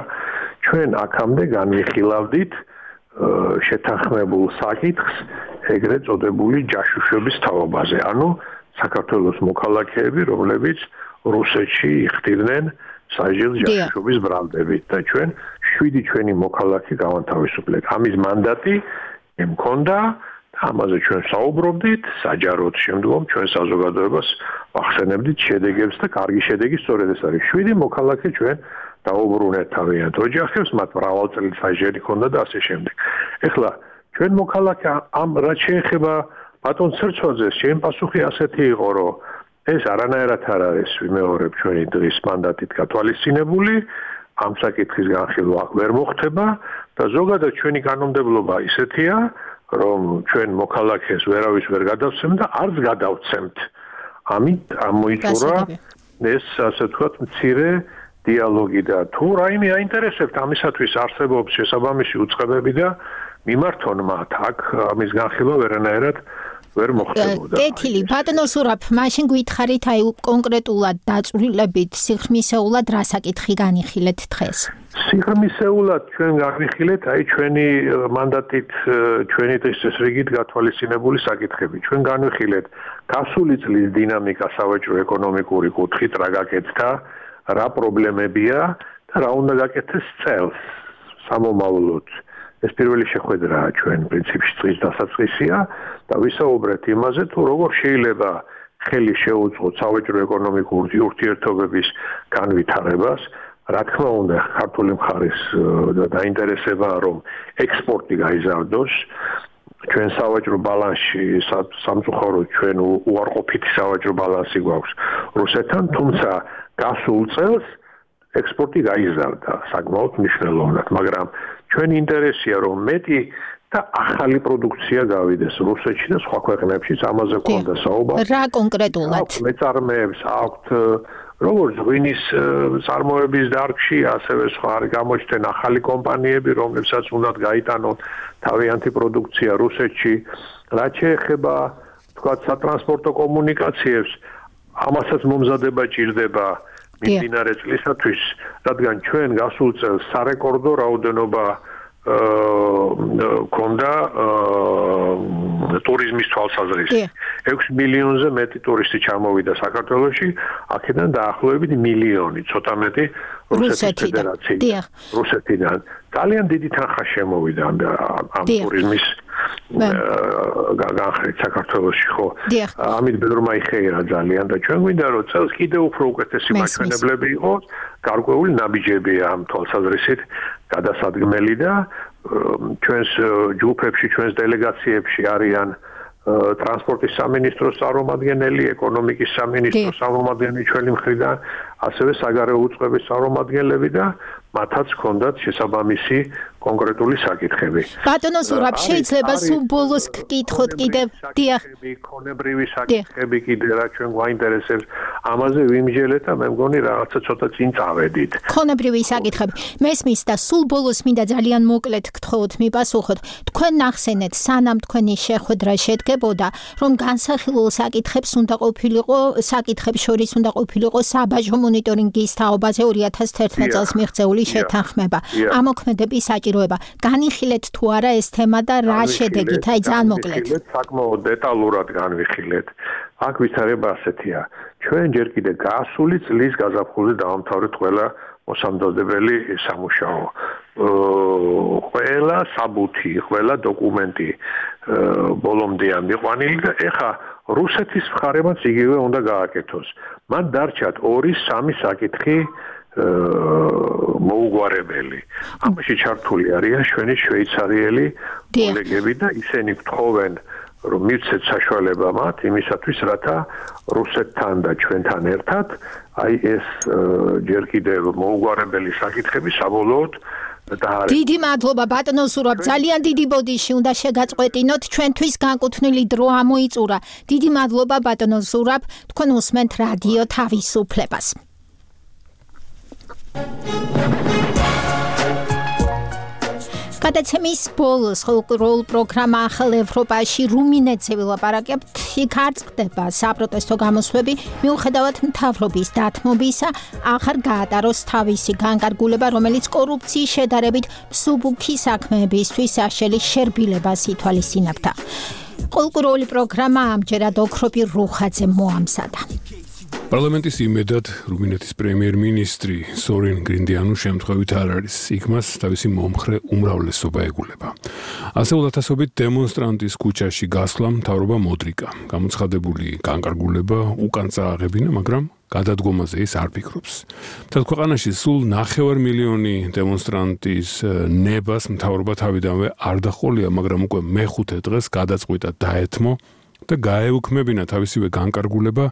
ჩვენ აქამდე განვიხილავდით შეთანხმებულ საკითხს ეგრეთ წოდებული ჯაშუშების თაობაზე, ანუ საქართველოს მოქალაქეები, რომლებიც რუსეთში იხდიდნენ საჯილ ჯაშუშობის ბრალდებით და ჩვენ 7 ჩვენი მოქალაქე გავანთავისუფლეთ. ამის მანდატი მქონდა და ამაზე ჩვენ საუბრობდით, საჯაროდ შემდგომ ჩვენ საზოგადოებას ვახსენებდით შედეგებს და კარგი შედეგი სწორედ ეს არის. 7 მოქალაქე ჩვენ დაუბრუნეთ თავიანთ ოჯახებს, მათ მრავალწლიანი ჰქონდა და ასე შემდეგ. ეხლა ჩვენ მოქალაქე ამ რაც შეეხება ბატონ ცერცვაძეს, ჩემი პასუხი ასეთი იყო, რომ ეს არანაირად არ არის ვიმეორებ ჩვენი დღის მანდატით გათვალისწინებული, ამ საკითხის განხილვა ვერ მოხდება და ზოგადად ჩვენი კანონმდებლობა ისეთია, რომ ჩვენ მოქალაქეს ვერავის ვერ გადავცემთ და არც გადავცემთ. ამით ამოიწურა ეს ასე ვთქვათ მცირე დიალოგი და თუ რაიმე აინტერესებთ ამისათვის არსებობს შესაბამისი უწყებები და მიმართონ მათ აქ ამის განხილვა ვერანაირად ვერ მოხდებოდა. კეთილი, ბატონო ზურაბ, მაშინ გითხარით აი კონკრეტულად დაწვრილებით სიღრმისეულად რა საკითხი განიხილეთ დღეს? სიღრმისეულად ჩვენ განიხილეთ აი ჩვენი მანდატით ჩვენი დღის წესრიგით გათვალისწინებული საკითხები. ჩვენ განვიხილეთ გასული წლის დინამიკა სავაჭრო ეკონომიკური კუთხით რა გაკეთდა, რა პრობლემებია და რა უნდა გაკეთდეს წელს სამომავლოდ. ეს პირველი შეხვედრაა ჩვენ პრინციპში წლის დასაწყისია და ვისაუბრეთ იმაზე თუ როგორ შეიძლება ხელი შეუწყოთ სავაჭრო ეკონომიკური ურთიერთობების განვითარებას. რა თქმა უნდა, ქართული მხარის დაინტერესებაა, რომ ექსპორტი გაიზარდოს. ჩვენ სავაჭრო ბალანსში სამწუხაროდ ჩვენ უარყოფითი სავაჭრო ბალანსი გვაქვს რუსეთთან, თუმცა გასულ წელს ექსპორტი გაიზარდა საკმაოდ მნიშვნელოვნად, მაგრამ ჩვენი ინტერესია რომ მეტი და ახალი პროდუქცია გავიდეს რუსეთში და სხვა ქვეყნებშიც, ამაზე გქონდა საუბარი. რა კონკრეტულად? მეწარმეებს აქვთ როგორც ღვინის წარმოების დარგში, ასევე სხვა გამოჩნდნენ ახალი კომპანიები, რომლებსაც უნდათ გაიტანონ თავიანთი პროდუქცია რუსეთში. რაც შეეხება თქვათ სატრანსპორტო კომუნიკაციებს, ამასაც მომზადება ჭირდება მიმდინარე წლისათვის, რადგან ჩვენ გასულ წელს სარეკორდო რაოდენობა ქონდა ტურიზმის თვალსაზრისით. 6 მილიონზე მეტი ტურისტი ჩამოვიდა საქართველოში, აქედან დაახლოებით მილიონი, ცოტა მეტი რუსეთიდან. ძალიან დიდი თანხა შემოვიდა ამ ტურიზმის განხრით საქართველოში, ხო? ამით ბედრომა იხეირა ძალიან და ჩვენ გვინდა რომ წელს კიდევ უფრო უკეთესი მაჩვენებლები იყოს, გარკვეული ნაბიჯებია ამ თვალსაზრისით გადასადგმელი და ჩვენს ჯგუფებში, ჩვენს დელეგაციებში არიან ტრანსპორტის სამინისტროს წარმომადგენელი, ეკონომიკის სამინისტროს წარმომადგენელი ჩვენი მხრიდან, ასევე საგარეო უწყების წარმომადგენლები და მათაც ჰქონდათ შესაბამისი კონკრეტული საკითხები. ბატონო ზურაბ, შეიძლება სულ ბოლოს გკითხოთ კიდევ. დიახ. ქონებრივი საკითხები კიდე რა ჩვენ გვაინტერესებს. ამაზე ვიმჯელეთ და მე მგონი რაღაცა ცოტა წინ წავედით. ქონებრივი საკითხები. მესმის და სულ ბოლოს მინდა ძალიან მოკლედ გთხოვოთ მიპასუხოთ. თქვენ ნახსენეთ, სანამ თქვენი შეხვედრა შედგებოდა, რომ განსახილულ საკითხებს შორის უნდა ყოფილიყო საბაჟო მონიტორინგის თაობაზე 2011 წელს მიღწეული შეთანხმება. ამოქმედების საჭიროება. განიხილეთ თუ არა ეს თემა და რა შედეგით? აი ძალიან მოკლედ. საკმაოდ დეტალურად განვიხილეთ. აქ ვითარება ასეთია. ჩვენ ჯერ კიდე გასული წლის გაზაფხულზე დავამთავრეთ ყველა მოსამზადებელი სამუშაო. ყველა საბუთი, ყველა დოკუმენტი ბოლომდე ამიყვანილი და ეხა რუსეთის მხარემაც იგივე უნდა გააკეთოს. მან დარჩათ 2-3 საკითხი მოუგვარებელი. ამაში ჩართული არიან ჩვენი შვეიცარიელი კოლეგები და ისინი გთხოვენ რომ მივცეთ საშუალება მათ იმისათვის, რათა რუსეთთან და ჩვენთან ერთად აი ეს ჯერ კიდევ მოუგვარებელი საკითხები საბოლოოდ დაარღვევს. დიდი მადლობა ბატონო ზურაბ, ძალიან დიდი ბოდიში უნდა შეგაწყვეტინოთ, ჩვენთვის განკუთვნილი დრო ამოიწურა. დიდი მადლობა ბატონო ზურაბ, თქვენ უსმენთ რადიო თავისუფლებას. გადაცემის ბოლოს ხოლმე პროგრამა ახალ ევროპაში რუმინეთზე ვილაპარაკებთ. იქ არ წყდება საპროტესტო გამოსვლები, მიუხედავად მთავრობის დათმობისა, აღარ გაატაროს თავისი განკარგულება, რომელიც კორუფციის შედარებით მსუბუქი საქმეებისთვის საშელი შერბილებას ითვალისწინებდა. კულტურული პროგრამა ამჯერად ოქროპი რუხაძე მოამზადა. პარლამენტის იმედად რუმინეთის პრემიერ-მინისტრი სორინ გრინდიანუ შემთხვევით არ არის. იქ მას თავისი მომხრე უმრავლესობა ეგულება. ასეულ ათასობით დემონსტრანტის ქუჩაში გასვლა მთავრობა მოდრიკა. გამოცხადებული განკარგულება უკან წააღებინა, მაგრამ გადადგომაზე ის არ ფიქრობს. მთელ ქვეყანაში სულ 9 მილიონი დემონსტრანტის ნებას მთავრობა თავიდანვე არ დახოლია, მაგრამ უკვე მეხუთე დღეს გადაწყვიტა დაეთმო და გაეუქმებინა თავისივე განკარგულება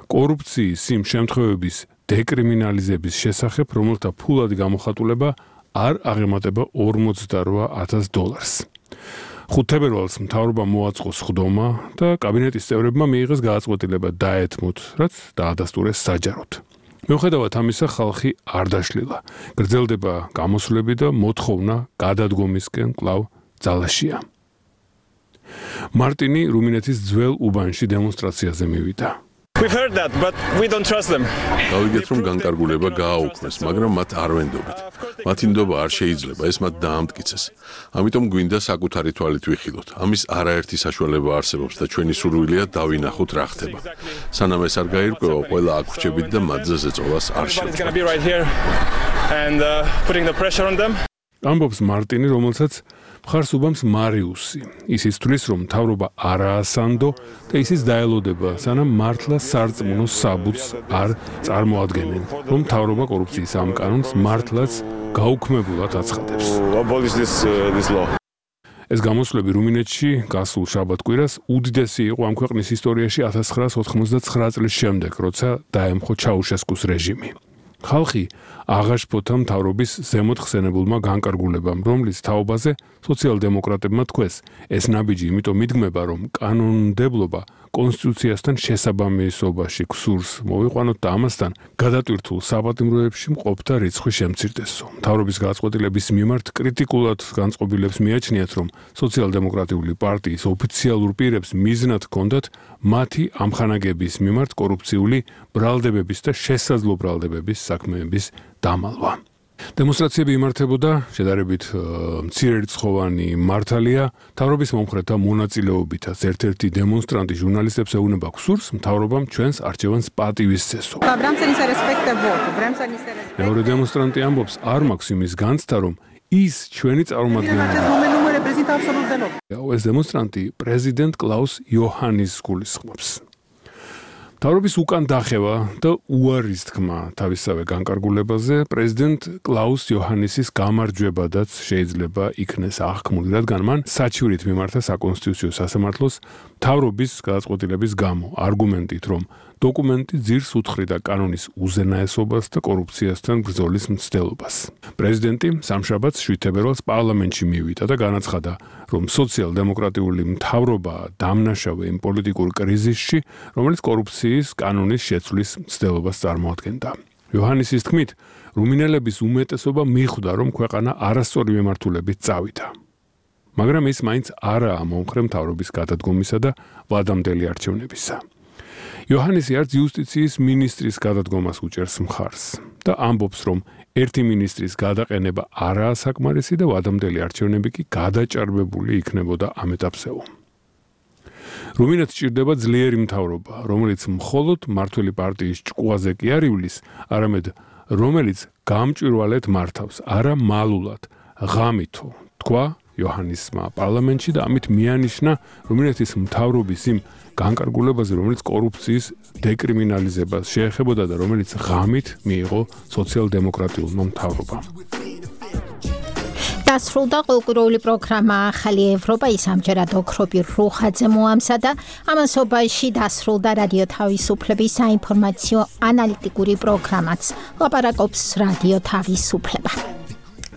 კორუფციის იმ შემთხვევების დეკრიმინალიზების შესახებ, რომელთა ფულადი გამოხატულება არ აღემატება $48,000. 5 თებერვალს მთავრობა მოაწყო სხდომა და კაბინეტის წევრებმა მიიღეს გადაწყვეტილება დაეთმოთ, რაც დაადასტურეს საჯაროდ. მიუხედავად ამისა, ხალხი არ დაშლილა. გრძელდება გამოსვლები და მოთხოვნა გადადგომისკენ კვლავ ძალაშია. მარტინი რუმინეთის ძველ უბანში დემონსტრაციაზე მივიდა. გავიგეთ, რომ განკარგულება გააუქმეს, მაგრამ მათ არ ვენდობთ. მათი ნდობა არ შეიძლება, ეს მათ დაამტკიცეს. ამიტომ გვინდა საკუთარი თვალით ვიხილოთ. ამის არაერთი საშუალება არსებობს და ჩვენი სურვილია დავინახოთ რა ხდება. სანამ ეს არ გაირკვევა, ყველა აქ ვრჩებით და მათზე ზეწოლას არ შევწყდა. ამბობს მარტინი, რომელსაც მხარს უბამს მარიუსი. ის ითვლის, რომ მთავრობა არაა სანდო და ისიც დაელოდება, სანამ მართლა სარწმუნო საბუთს არ წარმოადგენენ, რომ მთავრობა კორუფციის ამ კანონს მართლაც გაუქმებულად აცხადებს. ეს გამოსვლები რუმინეთში გასულ შაბათ-კვირას უდიდესი იყო ამ ქვეყნის ისტორიაში 1989 წლის შემდეგ, როცა დაემხო ჩაუშესკუს რეჟიმი. ხალხი აღაშფოთა მთავრობის ზემოთ ხსენებულმა განკარგულებამ, რომლის თაობაზე სოციალ-დემოკრატებმა თქვეს, ეს ნაბიჯი იმიტომ მიდგმება, რომ კანონმდებლობა კონსტიტუციასთან შესაბამისობაში გსურს მოვიყვანოთ და ამასთან გადატვირთულ საპატიმროებში მყოფთა რიცხვი შემცირდესო. მთავრობის გადაწყვეტილების მიმართ კრიტიკულად განწყობილებს მიაჩნიათ, რომ სოციალ-დემოკრატიული პარტიის ოფიციალურ პირებს მიზნად ჰქონდათ მათი ამხანაგების მიმართ კორუფციული ბრალდებების და შესაძლო ბრალდებების საქმეების დამალვა. დემონსტრაციები იმართებოდა შედარებით მცირერიცხოვანი მართალია მთავრობის მომხრეთა მონაწილეობითაც. ერთ-ერთი დემონსტრანტი ჟურნალისტებს ეუბნება გსურს, მთავრობამ ჩვენს არჩევანს პატივისცესო. მეორე დემონსტრანტი ამბობს, არ მაქვს იმის განცდა, რომ ის ჩვენი წარმომადგენელი. ეს დემონსტრანტი პრეზიდენტ კლაუს იოჰანის გულისხმობს. მთავრობის უკან დახევა და უარის თქმა თავისავე განკარგულებაზე პრეზიდენტ კლაუს იოჰანისის გამარჯვებადაც შეიძლება იქნეს აღქმული, რადგან მან საჩივრით მიმართა საკონსტიტუციო სასამართლოს მთავრობის გადაწყვეტილების გამო, არგუმენტით, რომ დოკუმენტი ძირს უთხრიდა კანონის უზენაესობას და კორუფციასთან ბრძოლის მცდელობას. პრეზიდენტი სამშაბათს 7 თებერვალს პარლამენტში მივიდა და განაცხადა, რომ სოციალ-დემოკრატიული მთავრობა დამნაშავე იმ პოლიტიკურ კრიზისში, რომელიც კორუფციის კანონის შეცვლის მცდელობას წარმოადგენდა. იოჰანესის თქმით, რუმინელების უმეტესობა მიხვდა, რომ ქვეყანა არასწორი მემართულებით წავიდა. მაგრამ ის მაინც არაა მომხრე მთავრობის გადადგომისა და ვადამდელი არჩევნებისა. იოჰანესი არც იუსტიციის მინისტრის გადადგომას უჭერს მხარს და ამბობს, რომ ერთი მინისტრის გადაყენება არაა საკმარისი და ვადამდელი არჩევნები კი გადაჭარბებული იქნებოდა ამ ეტაპზეო. რუმინეთს ჭირდება ძლიერი მთავრობა, რომელიც მხოლოდ მმართველი პარტიის ჭკუაზე კი არ ივლის, არამედ რომელიც გამჭვირვალედ მართავს, არა მალულად, ღამითო, თქვა იოჰანესმა პარლამენტში და ამით მიანიშნა რუმინეთის მთავრობის იმ განკარგულებაზე, რომელიც კორუფციის დეკრიმინალიზებას შეეხებოდა და რომელიც ღამით მიიღო სოციალ-დემოკრატიულმა მთავრობამ. დასრულდა კულტურული პროგრამა ახალი ევროპა, ის ამჯერად ოქრობი რუხაძე მოამზადა. ამასობაში დასრულდა რადიო თავისუფლების საინფორმაციო ანალიტიკური პროგრამაც. ლაპარაკობს რადიო თავისუფლება.